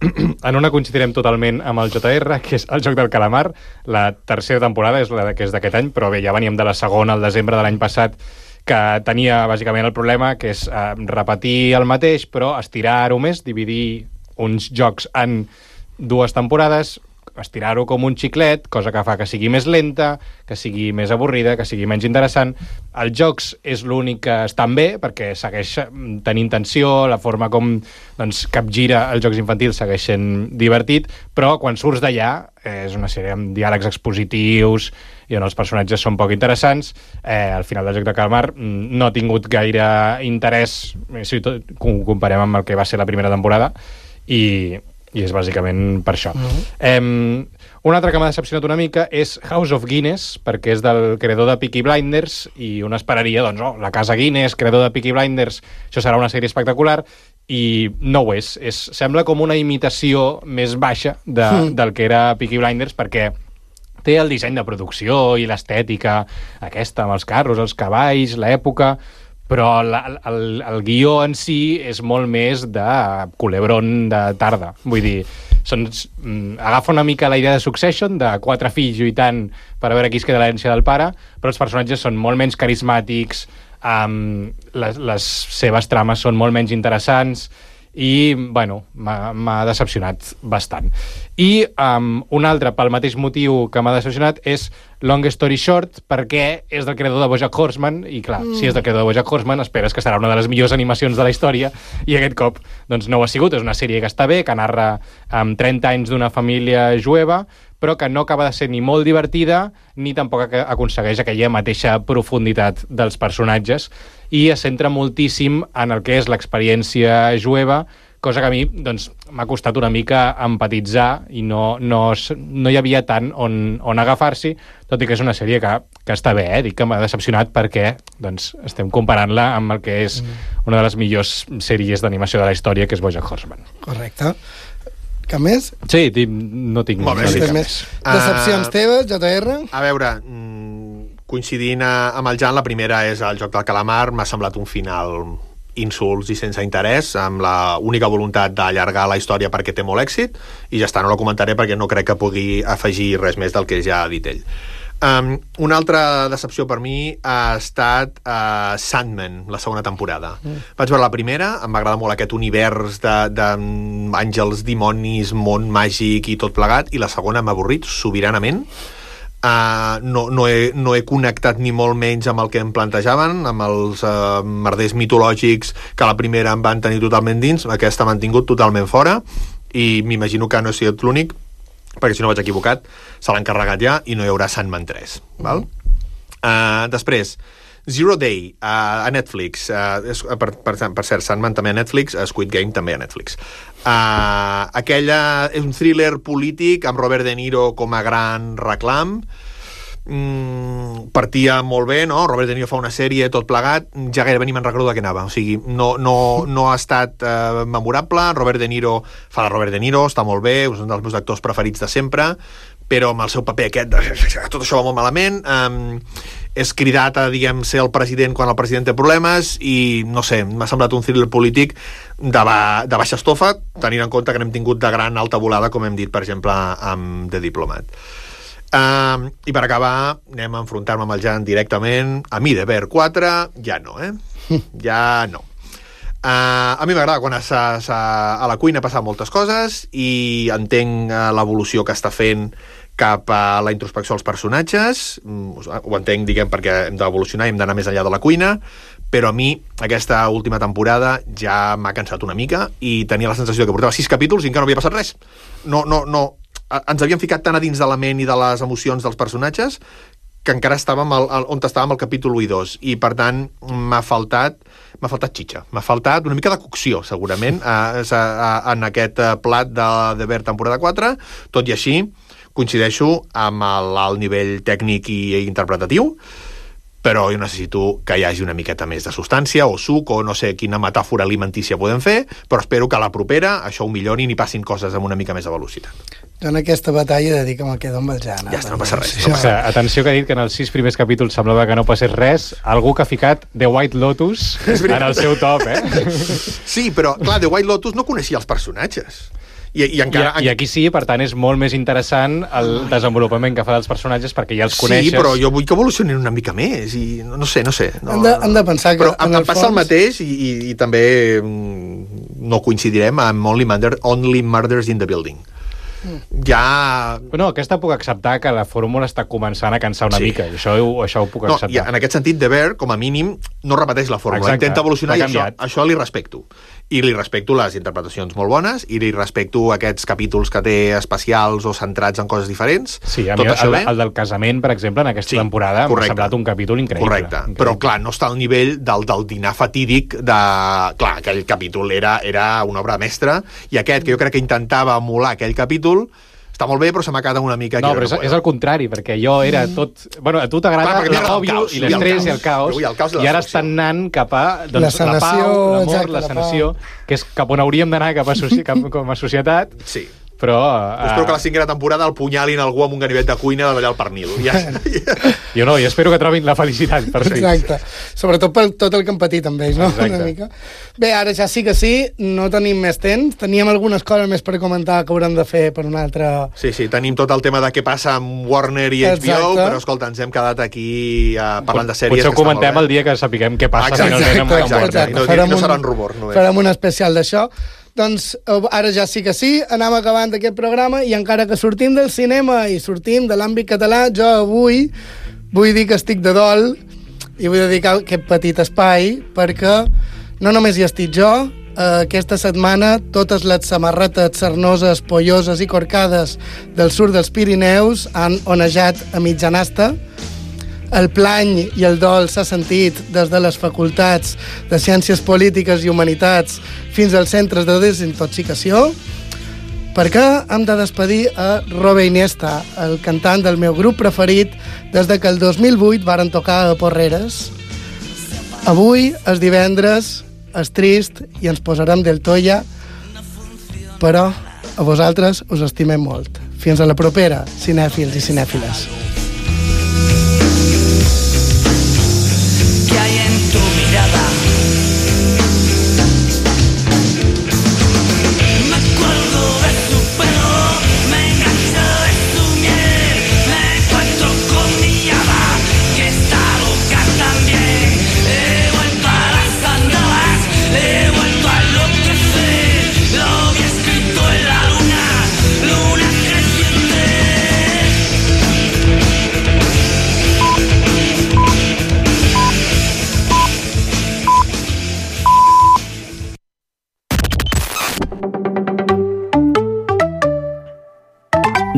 en una coincidirem totalment amb el J R, que és el Joc del Calamar. La tercera temporada és la que és d'aquest any, però bé, ja veníem de la segona al desembre de l'any passat, que tenia bàsicament el problema, que és eh, repetir el mateix, però estirar-ho més, dividir uns jocs en dues temporades, estirar-ho com un xiclet, cosa que fa que sigui més lenta, que sigui més avorrida, que sigui menys interessant. Els jocs és l'únic que estan bé, perquè segueix tenint tensió, la forma com doncs, capgira els jocs infantils segueix sent divertit, però quan surts d'allà eh, és una sèrie amb diàlegs expositius i on els personatges són poc interessants. Eh, al final del Joc de Calamar no ha tingut gaire interès, si ho comparem amb el que va ser la primera temporada, i... i és bàsicament per això. Uh-huh. Eh, una altra que m'ha decepcionat una mica és House of Guinness, perquè és del creador de Peaky Blinders, i un esperaria, doncs, oh, la casa Guinness, creador de Peaky Blinders, això serà una sèrie espectacular, i no ho és. és sembla com una imitació més baixa de, mm. del que era Peaky Blinders, perquè té el disseny de producció i l'estètica aquesta, amb els carros, els cavalls, l'època, però la, el, el guió en si és molt més de culebron de tarda. Vull dir, són, agafa una mica la idea de Succession, de quatre fills lluitant per a veure qui es queda l'herència del pare, però els personatges són molt menys carismàtics, um, les, les seves trames són molt menys interessants, i, bueno, m'ha decepcionat bastant. I um, un altre, pel mateix motiu que m'ha decepcionat, és Long Story Short, perquè és del creador de BoJack Horseman, i clar, mm. si és del creador de BoJack Horseman, esperes que serà una de les millors animacions de la història, i aquest cop doncs, no ho ha sigut. És una sèrie que està bé, que narra um, trenta anys d'una família jueva, però que no acaba de ser ni molt divertida, ni tampoc aconsegueix aquella mateixa profunditat dels personatges, i es centra moltíssim en el que és l'experiència jueva cosa que a mi doncs, m'ha costat una mica empatitzar i no, no, no hi havia tant on, on agafar-s'hi, tot i que és una sèrie que, que està bé, eh? Dic que m'ha decepcionat perquè doncs, estem comparant-la amb el que és una de les millors sèries d'animació de la història, que és BoJack Horseman. Correcte. Cap més? Sí, no tinc, Molt bé, no sí, tinc cap més. més. Decepcions Uh, teves, J R? A veure, coincidint amb el Jan, la primera és el Joc del Calamar. M'ha semblat un final insults i sense interès, amb la única voluntat d'allargar la història perquè té molt èxit, i ja està, no la comentaré perquè no crec que pugui afegir res més del que ja ha dit ell. Um, una altra decepció per mi ha estat uh, Sandman, la segona temporada. Mm. Vaig veure la primera, em va agradar molt aquest univers d'àngels, dimonis, món màgic i tot plegat, i la segona m'ha avorrit sobiranament. Uh, no, no, he, no he connectat ni molt menys amb el que em plantejaven, amb els uh, merders mitològics que a la primera em van tenir totalment dins, aquesta m'han tingut totalment fora, i m'imagino que no he sigut l'únic, perquè si no vaig equivocat, se l'han carregat ja i no hi haurà Sandman tres. Val? Uh, després, Zero Day, uh, a Netflix. Uh, és, per, per, per cert, Sandman també a Netflix, Squid Game també a Netflix. Uh, aquella és un thriller polític amb Robert De Niro com a gran reclam. Mm, partia molt bé, no? Robert De Niro fa una sèrie, tot plegat, ja gairebé ni me'n recordo de què anava, o sigui, no, no, no ha estat eh, memorable. Robert De Niro fa de Robert De Niro, està molt bé, és un dels meus actors preferits de sempre, però amb el seu paper aquest, tot això va molt malament. Um, és cridat a, diguem, ser el president quan el president té problemes, i no sé, m'ha semblat un thriller polític de, ba de baixa estofa, tenint en compte que n'hem tingut de gran alta volada, com hem dit, per exemple, amb The Diplomat. Uh, I per acabar, anem a enfrontar-me amb el Jan directament. A mi, The Bear quatre, ja no, eh? Ja no. Uh, a mi m'agrada quan a, a, a la cuina passen moltes coses, i entenc uh, l'evolució que està fent cap a la introspecció dels personatges. Mm, ho entenc, diguem, perquè hem d'evolucionar i hem d'anar més enllà de la cuina, però a mi aquesta última temporada ja m'ha cansat una mica, i tenia la sensació que portava sis capítols i encara no havia passat res. No, no, no... Ens havíem ficat tan a dins de la ment i de les emocions dels personatges que encara estàvem al, al, on estàvem al capítol u i dos, i per tant m'ha faltat m'ha faltat xitxa, m'ha faltat una mica de cocció, segurament, a, a, a, en aquest plat de The Bear temporada quatre. Tot i així, coincideixo amb l'alt nivell tècnic i interpretatiu, però jo necessito que hi hagi una miqueta més de substància o suc, o no sé quina metàfora alimentícia podem fer, però espero que a la propera això ho millorin i passin coses amb una mica més de velocitat. Jo en aquesta batalla he de dir que me'l quedo amb el Jan. Ja està, no passa res. No passa. Atenció, que ha dit que en els sis primers capítols semblava que no passés res. Algú que ha ficat The White Lotus en el seu top, eh? Sí, però, clar, The White Lotus no coneixia els personatges. I, i, encara, I, I aquí sí, per tant, és molt més interessant el desenvolupament que fa dels personatges, perquè ja els coneixes. Sí, però jo vull que evolucionin una mica més, i no, no sé, no sé. No, hem, de, hem de pensar que... Però em, em passa fons... el mateix, i, i, i també no coincidirem amb Only, Murder, Only Murders in the Building. Ja... No, aquesta puc acceptar, que la fórmula està començant a cansar una sí. mica, i això, això ho puc no, acceptar. I en aquest sentit, The Bear, com a mínim, no repeteix la fórmula. Exacte. Intenta evolucionar, i això, això li respecto. I li respecto les interpretacions molt bones, i li respecto aquests capítols que té especials o centrats en coses diferents. Sí, a mi el, el, el del casament, per exemple, en aquesta sí, temporada m'ha semblat un capítol increïble. Correcte, increïble. Però clar, no està al nivell del, del dinar fatídic de... Clar, aquell capítol era, era una obra mestra, i aquest, que jo crec que intentava emular aquell capítol, està molt bé, però se m'ha quedat una mica... No, però és, és el contrari, perquè jo era tot... Bueno, a tu t'agrada l'òbvio i l'estrès i el caos, i, el caos i ara estan anant cap a doncs, la, sanació, la pau, l'amor, exacte, la sanació, la que és cap on hauríem d'anar cap a cap, com a societat. Sí. Però... Uh... Espero que la cinquena temporada el punyalin algú amb un ganivet de cuina de allà al pernil. Ja. Jo no, i espero que trobin la felicitat per fi. Exacte. Sobretot per tot el que hem patit amb ells, no? Exacte. Una mica. Bé, ara ja sí que sí, no tenim més temps. Teníem algunes coses més per comentar que haurem de fer per una altra... Sí, sí, tenim tot el tema de què passa amb Warner i H B O, exacte. Però escolta, ens hem quedat aquí uh, parlant de sèries. Potser ho comentem el dia que sapiguem què passa exacte, finalment amb, exacte, amb Warner. Exacte. No, no serà un rumor. No farem un especial d'això. Doncs ara ja sí que sí, anem acabant aquest programa, i encara que sortim del cinema i sortim de l'àmbit català, jo avui vull dir que estic de dol i vull dedicar aquest petit espai perquè no només hi estic jo, eh, aquesta setmana totes les samarretes sarnoses, polloses i corcades del sud dels Pirineus han onejat a mitjanasta. El plany i el dol s'ha sentit des de les facultats de Ciències Polítiques i Humanitats fins als centres de desintoxicació, perquè hem de despedir a Robe Iniesta, el cantant del meu grup preferit des de que el dos mil vuit varen tocar a Porreres. Avui, és divendres, és trist i ens posarem del tolla, però a vosaltres us estimem molt. Fins a la propera, cinèfils i cinèfiles. ¿Qué hay en tu mirada? Me acuerdo de tu pelo, me engancho de tu miel, me encuentro con mi hada, que está loca también. He vuelto a las andadas, he vuelto a enloquecer, lo vi escrito en la luna, luna creciente.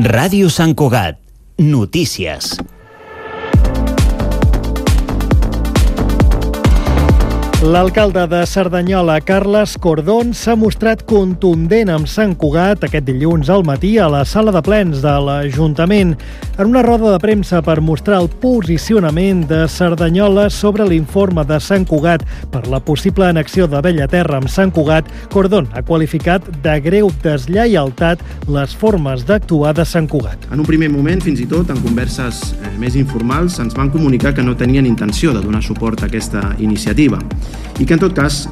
Ràdio Sant Cugat. Notícies. L'alcalde de Cerdanyola, Carles Cordón, s'ha mostrat contundent amb Sant Cugat aquest dilluns al matí a la sala de plens de l'Ajuntament en una roda de premsa per mostrar el posicionament de Cerdanyola sobre l'informe de Sant Cugat per la possible annexió de Bellaterra amb Sant Cugat. Cordón ha qualificat de greu deslleialtat les formes d'actuar de Sant Cugat. En un primer moment, fins i tot, en converses eh, més informals, ens van comunicar que no tenien intenció de donar suport a aquesta iniciativa i que, en tot cas,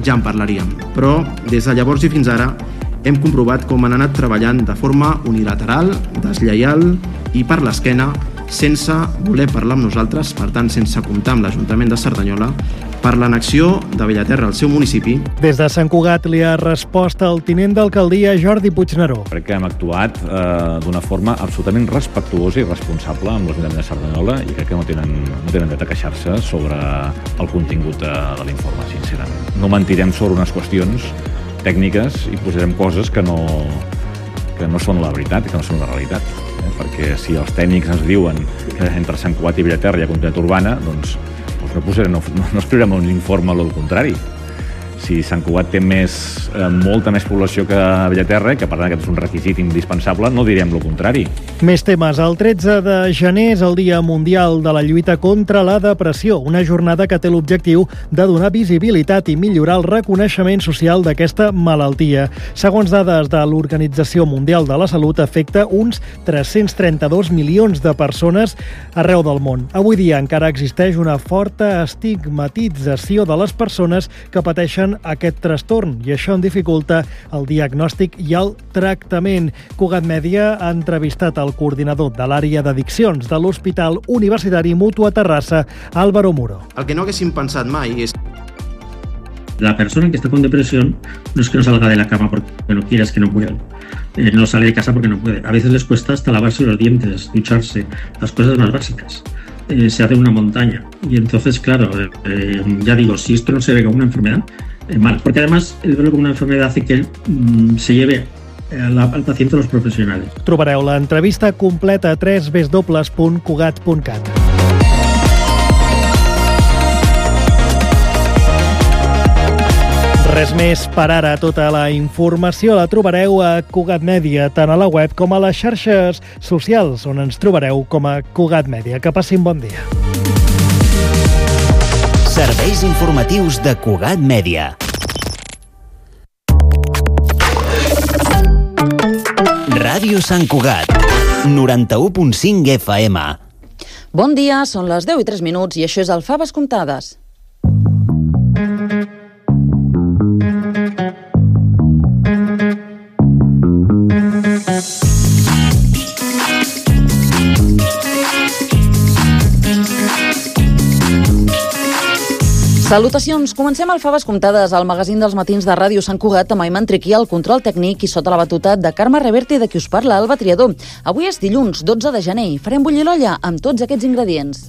ja en parlaríem. Però, des de llavors i fins ara, hem comprovat com han anat treballant de forma unilateral, deslleial i per l'esquena, sense voler parlar amb nosaltres, per tant, sense comptar amb l'Ajuntament de Cerdanyola, per l'annexió de Bellaterra al seu municipi. Des de Sant Cugat li ha respost el tinent d'alcaldia Jordi Puigneró. Crec que hem actuat eh, d'una forma absolutament respectuosa i responsable amb l'Ajuntament de Cerdanyola i crec que no tenen, no tenen dret a queixar-se sobre el contingut de, de l'informe, sincerament. No mentirem sobre unes qüestions tècniques i posarem coses que no, que no són la veritat i que no són la realitat. Eh? Perquè si els tècnics ens diuen que entre Sant Cugat i Bellaterra hi ha continuïtat urbana, doncs no, posarem, no, no escriurem un informe al contrari. Si Sant Cugat té més, eh, molta més població que Bellaterra, que per tant aquest és un requisit indispensable, no direm el contrari. Més temes. El tretze de gener és el Dia Mundial de la Lluita contra la Depressió, una jornada que té l'objectiu de donar visibilitat i millorar el reconeixement social d'aquesta malaltia. Segons dades de l'Organització Mundial de la Salut, afecta uns tres-cents trenta-dos milions de persones arreu del món. Avui dia encara existeix una forta estigmatització de les persones que pateixen aquest trastorn i això en dificulta el diagnòstic i el tractament. Cugat Mèdia ha entrevistat el coordinador de l'àrea d'addiccions de l'Hospital Universitari Mutua Terrassa, Álvaro Muro. El que no haguéssim pensat mai és... La persona que está con depresión no es que no salga de la cama porque no quiera, es que no puede. Eh, no sale de casa porque no puede. A veces les cuesta hasta lavarse los dientes, ducharse, las cosas más básicas. Eh, se hace una montaña. Y entonces, claro, eh, ya digo, si esto no se ve como una enfermedad, eh, mal. Porque además el verlo como una enfermedad hace que mm, se lleve al, al paciente a los profesionales. Trobareu l'entrevista completa a w w w punt cugat punt cat. Res més per ara. Tota la informació la trobareu a Cugat Mèdia, tant a la web com a les xarxes socials, on ens trobareu com a Cugat Mèdia. Que passin bon dia. Serveis informatius de Cugat Mèdia. Ràdio Sant Cugat, noranta-u punt cinc F M. Bon dia, són les deu i tres minuts i això és el Faves Comptades. Salutacions! Comencem el Faves Comptades, al magazín dels matins de Ràdio Sant Cugat, amb Ayman Triqui, el control tècnic, i sota la batuta de Carme Reverte, de qui us parla, Alba Triador. Avui és dilluns, dotze de gener, i farem bullir l'olla amb tots aquests ingredients.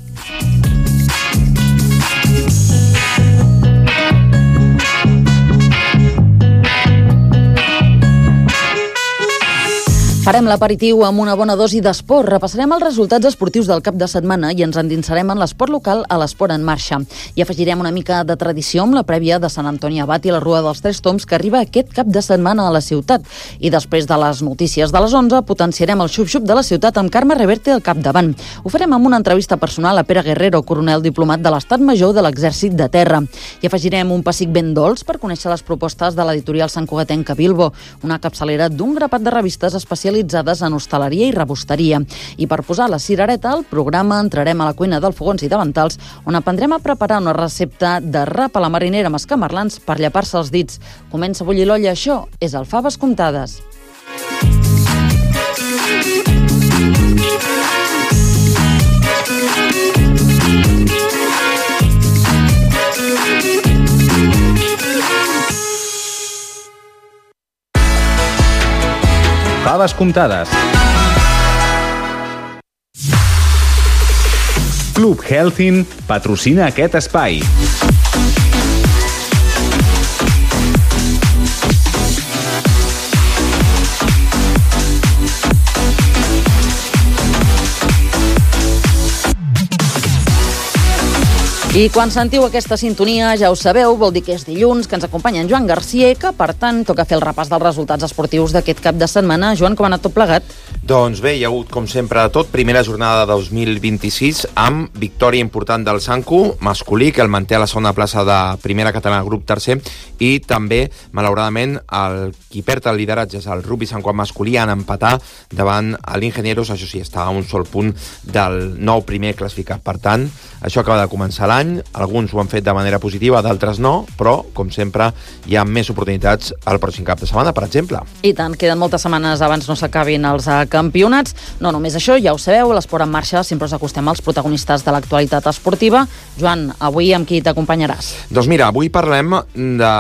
Farem l'aperitiu amb una bona dosi d'esport. Repassarem els resultats esportius del cap de setmana i ens endinsarem en l'esport local a l'Esport en Marxa. I afegirem una mica de tradició amb la prèvia de Sant Antoni Abat i la Rua dels Tres Tombs que arriba aquest cap de setmana a la ciutat. I després de les notícies de les onze potenciarem el xup-xup de la ciutat amb Carme Reverte al capdavant. Ho farem amb una entrevista personal a Pere Guerrero, coronel diplomat de l'Estat Major de l'Exèrcit de Terra. I afegirem un pessic ben dolç per conèixer les propostes de l'editorial santcugatenca Bilbo, una capçalera d'un grapat de revistes especialitzades en hostaleria i rebosteria. I per posar la cirereta al programa entrarem a la cuina del Fogons i Davantals, on aprendrem a preparar una recepta de rap a la marinera amb escamarlans per llepar-se els dits. Comença a bullir l'olla, això és el Faves Comptades. Faves comptades. Club Healthin patrocina aquest espai. I quan sentiu aquesta sintonia, ja ho sabeu, vol dir que és dilluns, que ens acompanya en Joan Garcia, que per tant toca fer el repàs dels resultats esportius d'aquest cap de setmana. Joan, com ha anat tot plegat? Doncs bé, hi ha hagut, com sempre, de tot. Primera jornada de dos mil vint-i-sis amb victòria important del Sanku masculí, que el manté a la segona plaça de primera catalana, grup tercer, i també, malauradament, el qui perd el lideratge és el Rugby Sant Juan masculí, en empatar davant l'Ingenieros, això sí, està a un sol punt del nou primer classificat. Per tant, això acaba de començar l'any, alguns ho han fet de manera positiva, d'altres no, però, com sempre, hi ha més oportunitats al pròxim cap de setmana, per exemple. I tant, queden moltes setmanes abans no s'acabin els campionats. No només això, ja ho sabeu, l'Esport en Marxa sempre us acostem als protagonistes de l'actualitat esportiva. Joan, avui amb qui t'acompanyaràs? Doncs mira, avui parlem de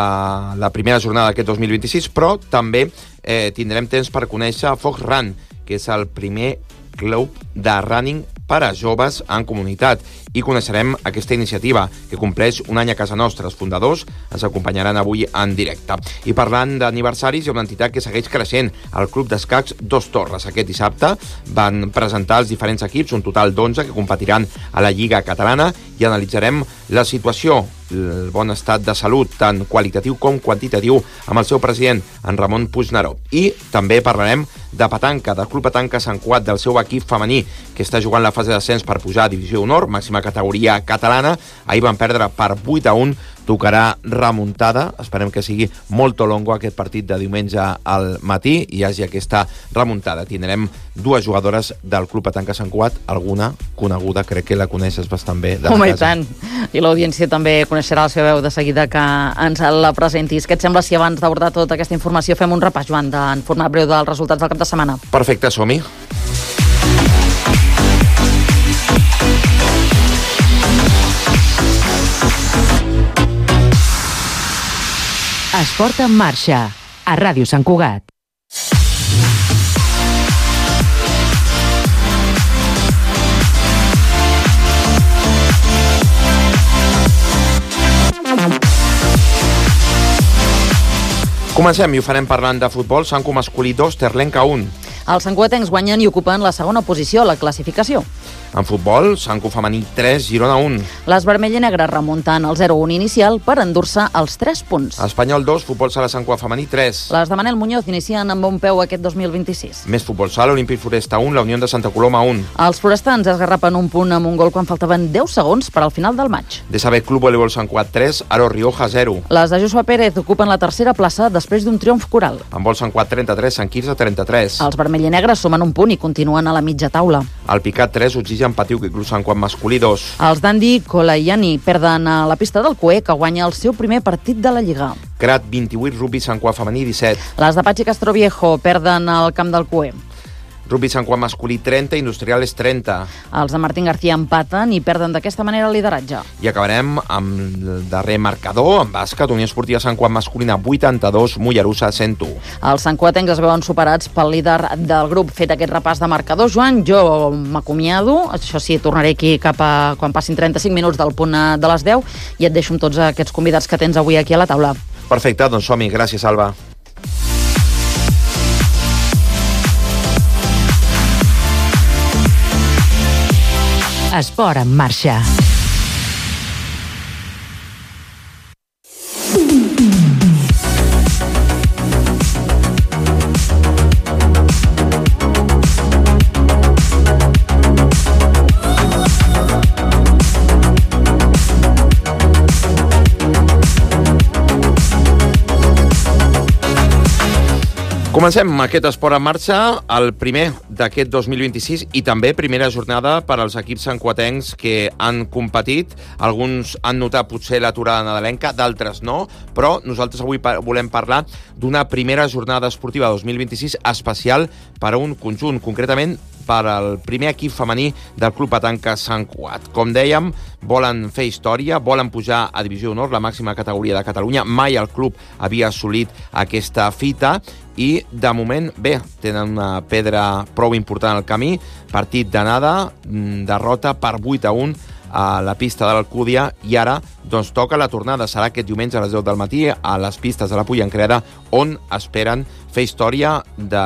la primera jornada d'aquest dos mil vint-i-sis, però també eh, tindrem temps per conèixer Fox Run, que és el primer club de running per a joves en comunitat, i coneixerem aquesta iniciativa que compleix un any a casa nostra. Els fundadors ens acompanyaran avui en directe. I parlant d'aniversaris, hi ha una entitat que segueix creixent, el Club d'Escacs Dos Torres. Aquest dissabte van presentar els diferents equips, un total d'onze que competiran a la Lliga Catalana, i analitzarem la situació, el bon estat de salut, tant qualitatiu com quantitatiu, amb el seu president, en Ramon Puigneró. I també parlarem de petanca, del Club Petanca Sant Cugat, del seu equip femení, que està jugant la fase d'ascens per pujar a Divisió Honor, màxima categoria catalana. Ahir van perdre per vuit a un, tocarà remuntada, esperem que sigui molt longo aquest partit de diumenge al matí i hi hagi aquesta remuntada. Tindrem dues jugadores del Club Petanca Sant Cugat, alguna coneguda, crec que la coneixes bastant bé. Home, i tant. I l'audiència també coneixerà la seva veu de seguida que ens la presentis. Què et sembla si abans d'abordar tota aquesta informació fem un repàs, Joan, en format breu dels resultats del cap de setmana? Perfecte, som-hi. Esport en Marxa, a Ràdio Sant Cugat. Comencem i ho farem parlant de futbol. Sanku masculí dos, Terlenca un. Els santcugatencs guanyen i ocupen la segona posició a la classificació. En futbol, Sanku femení tres, Girona un. Les vermell i negres remunten el zero a un inicial per endur-se els tres punts. Espanyol dos, futbol sala Sant Cugat femení tres. Les de Manel Muñoz inicien amb bon peu aquest dos mil vint-i-sis. Més futbol sala, Olímpic Foresta un, la Unió de Santa Coloma un. Els forestans esgarrapen un punt amb un gol quan faltaven deu segons per al final del maig. De saber Club Voleibol Sant Cugat tres, Aro Rioja zero. Les de Joshua Pérez ocupen la tercera plaça després d'un triomf coral. En vol Sant Cugat trenta-tres, Sant Quirze trenta-tres. Els vermell i negres sumen un punt i continuen a la mitja taula. El Picat tres, Oxigen Patiu, que Club Sant Cugat masculí dos. Els Dandi Colaiani perden a la pista del Cué, que guanya el seu primer partit de la Lliga. Crat vint-i-vuit, Rugby Sant Cugat femení disset. Les de Patxi Castroviejo perden al camp del Cué. Rugby Sant Cugat masculí trenta, Industriales trenta. Els de Martín García empaten i perden d'aquesta manera el lideratge. I acabarem amb el darrer marcador, en bàsquet, Unió Esportiva Sant Cugat masculina vuitanta-dos, Mollerussa cent u. Els santcugatencs es veuen superats pel líder del grup. Fet aquest repàs de marcadors, Joan, jo m'acomiado. Això sí, tornaré aquí cap a quan passin trenta-cinc minuts del punt de les deu i et deixo amb tots aquests convidats que tens avui aquí a la taula. Perfecte, doncs som-hi. Gràcies, Alba. Esport en marxa. Comencem aquest esport en marxa, el primer d'aquest dos mil vint-i-sis i també primera jornada per als equips santcugatencs que han competit. Alguns han notat potser l'aturada nadalenca, d'altres no, però nosaltres avui volem parlar d'una primera jornada esportiva dos mil vint-i-sis especial per a un conjunt, concretament per al primer equip femení del Club Petanca Sant Cugat. Com dèiem, volen fer història, volen pujar a Divisió d'Honor, la màxima categoria de Catalunya. Mai el club havia assolit aquesta fita i, de moment, bé, tenen una pedra prou important al camí. Partit d'anada, derrota per vuit a un a la pista de l'Alcúdia i ara doncs toca la tornada. Serà aquest diumenge a les deu del matí a les pistes de la Pollancreda, on esperen fer història de,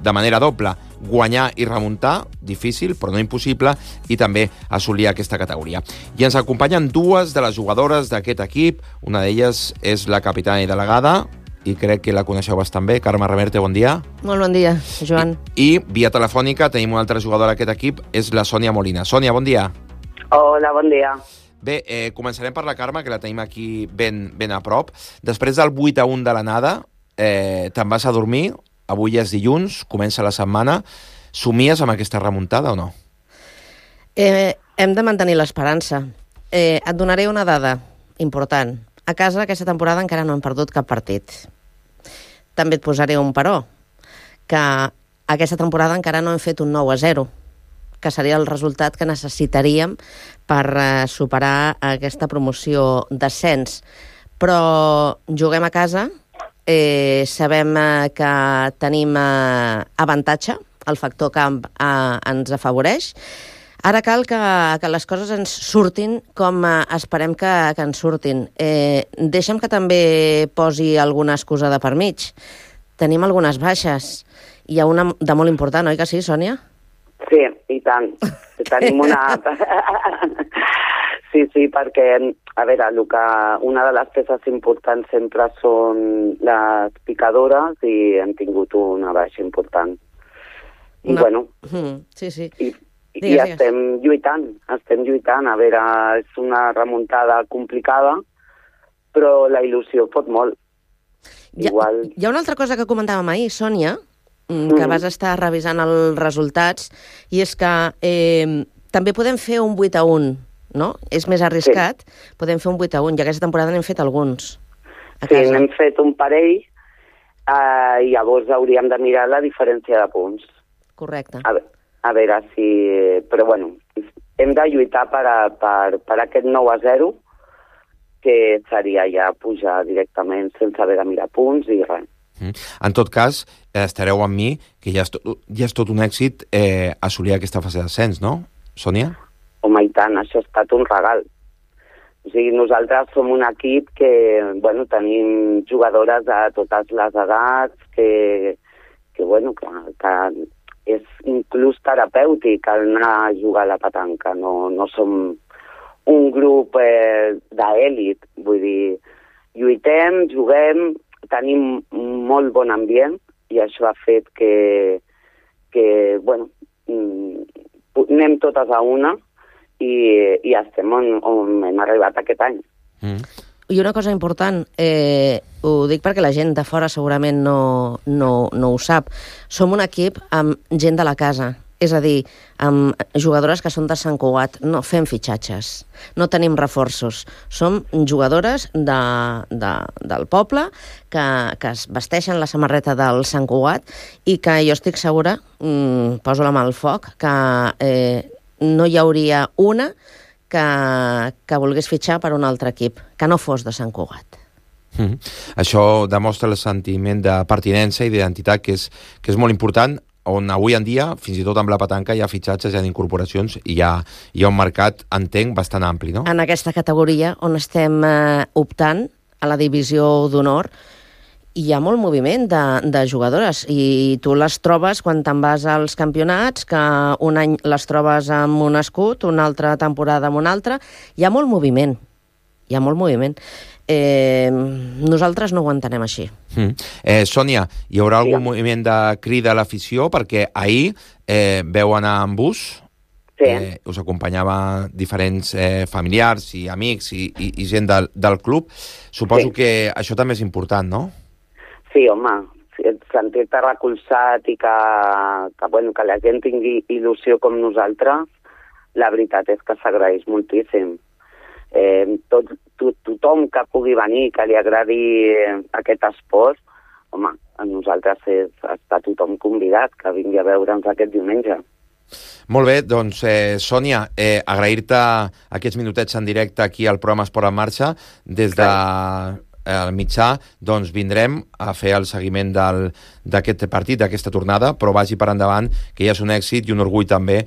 de manera doble. Guanyar i remuntar, difícil, però no impossible, i també assolir aquesta categoria. I ens acompanyen dues de les jugadores d'aquest equip. Una d'elles és la capitana i delegada, i crec que la coneixeu bastant bé, Carme Reverte, bon dia. Molt bon dia, Joan. I, i via telefònica tenim una altra jugadora d'aquest equip, és la Sònia Molina. Sònia, bon dia. Hola, bon dia. Bé, eh, començarem per la Carme, que la tenim aquí ben, ben a prop. Després del vuit a un de l'anada, eh, te'n vas a dormir, avui és dilluns, comença la setmana. Somies amb aquesta remuntada o no? Eh, hem de mantenir l'esperança. Eh, et donaré una dada important. A casa aquesta temporada encara no hem perdut cap partit. També et posaré un però, que aquesta temporada encara no hem fet un nou a zero, que seria el resultat que necessitaríem per eh, superar aquesta promoció d'ascens. Però juguem a casa, eh, sabem eh, que tenim eh, avantatge, el factor camp eh, ens afavoreix. Ara cal que, que les coses ens surtin com eh, esperem que, que ens surtin. Eh, deixa'm que també posi alguna excusa de per mig. Tenim algunes baixes. Hi ha una de molt important, oi que sí, Sònia? Sí, i tant. Tenim una... sí, sí, perquè, a veure, el que, una de les peces importants sempre són les picadores i hem tingut una baixa important. I, una... bueno... Mm, sí, sí. I, digues, i estem digues. lluitant, estem lluitant. A veure, és una remuntada complicada, però la il·lusió pot molt. Hi ha, Igual... hi ha una altra cosa que comentàvem ahir, Sònia, que vas estar revisant els resultats, i és que eh, també podem fer un vuit a un, no? És més arriscat, sí. Podem fer un vuit a un, i aquesta temporada n'hem fet alguns a casa. Sí, n'hem fet un parell, eh, i llavors hauríem de mirar la diferència de punts. Correcte. A, a veure si... Però, bueno, hem de lluitar per, a, per, per aquest nou a zero, que seria ja pujar directament sense haver de mirar punts i res. En tot cas, estareu amb mi, que ja és tot, ja és tot un èxit eh, assolir aquesta fase d'ascens, no, Sònia? Home, i tant, això ha estat un regal. O sigui, nosaltres som un equip que, bueno, tenim jugadores de totes les edats, que, que bueno, que, que és inclús terapèutic anar a jugar a la petanca. No, no som un grup eh, d'èlit, vull dir, lluitem, juguem, tenim molt bon ambient i això ha fet que, que bueno, anem totes a una i, i estem on, on hem arribat aquest any. Mm. I una cosa important, eh, ho dic perquè la gent de fora segurament no, no, no ho sap, som un equip amb gent de la casa. És a dir, amb jugadores que són de Sant Cugat, no fem fitxatges, no tenim reforços. Som jugadores de, de, del poble que, que es vesteixen la samarreta del Sant Cugat i que jo estic segura, mmm, poso la mà al foc, que eh, no hi hauria una que, que volgués fitxar per un altre equip, que no fos de Sant Cugat. Mm. Això demostra el sentiment de pertinença i d'identitat que és, que és molt important, on avui en dia, fins i tot amb la petanca, hi ha fitxatges, hi ha incorporacions i hi ha, hi ha un mercat, entenc, bastant ampli, no? En aquesta categoria on estem eh, optant a la divisió d'honor hi ha molt moviment de, de jugadores i tu les trobes quan te'n vas als campionats, que un any les trobes amb un escut, una altra temporada amb un altre. Hi ha molt moviment, hi ha molt moviment. Eh, nosaltres no ho entenem així. Mm. Eh, Sònia, hi haurà algun sí. moviment de crida a l'afició? Perquè ahir eh, veu anar en bus, sí. eh, us acompanyava diferents eh, familiars i amics i, i, i gent del, del club. Suposo sí. que això també és important, no? Sí, home, sentir-te recolzat i que, que, bueno, que la gent tingui il·lusió com nosaltres, la veritat és que s'agraeix moltíssim. Eh, tot, to, tothom que pugui venir, que li agradi aquest esport, home, a nosaltres és, està tothom convidat que vingui a veure'ns aquest diumenge. Molt bé, doncs, eh, Sònia, eh, agrair-te aquests minutets en directe aquí al programa Esport en Marxa. Des de el mitjà, doncs vindrem a fer el seguiment d'aquest partit, d'aquesta tornada, però vagi per endavant, que ja és un èxit i un orgull també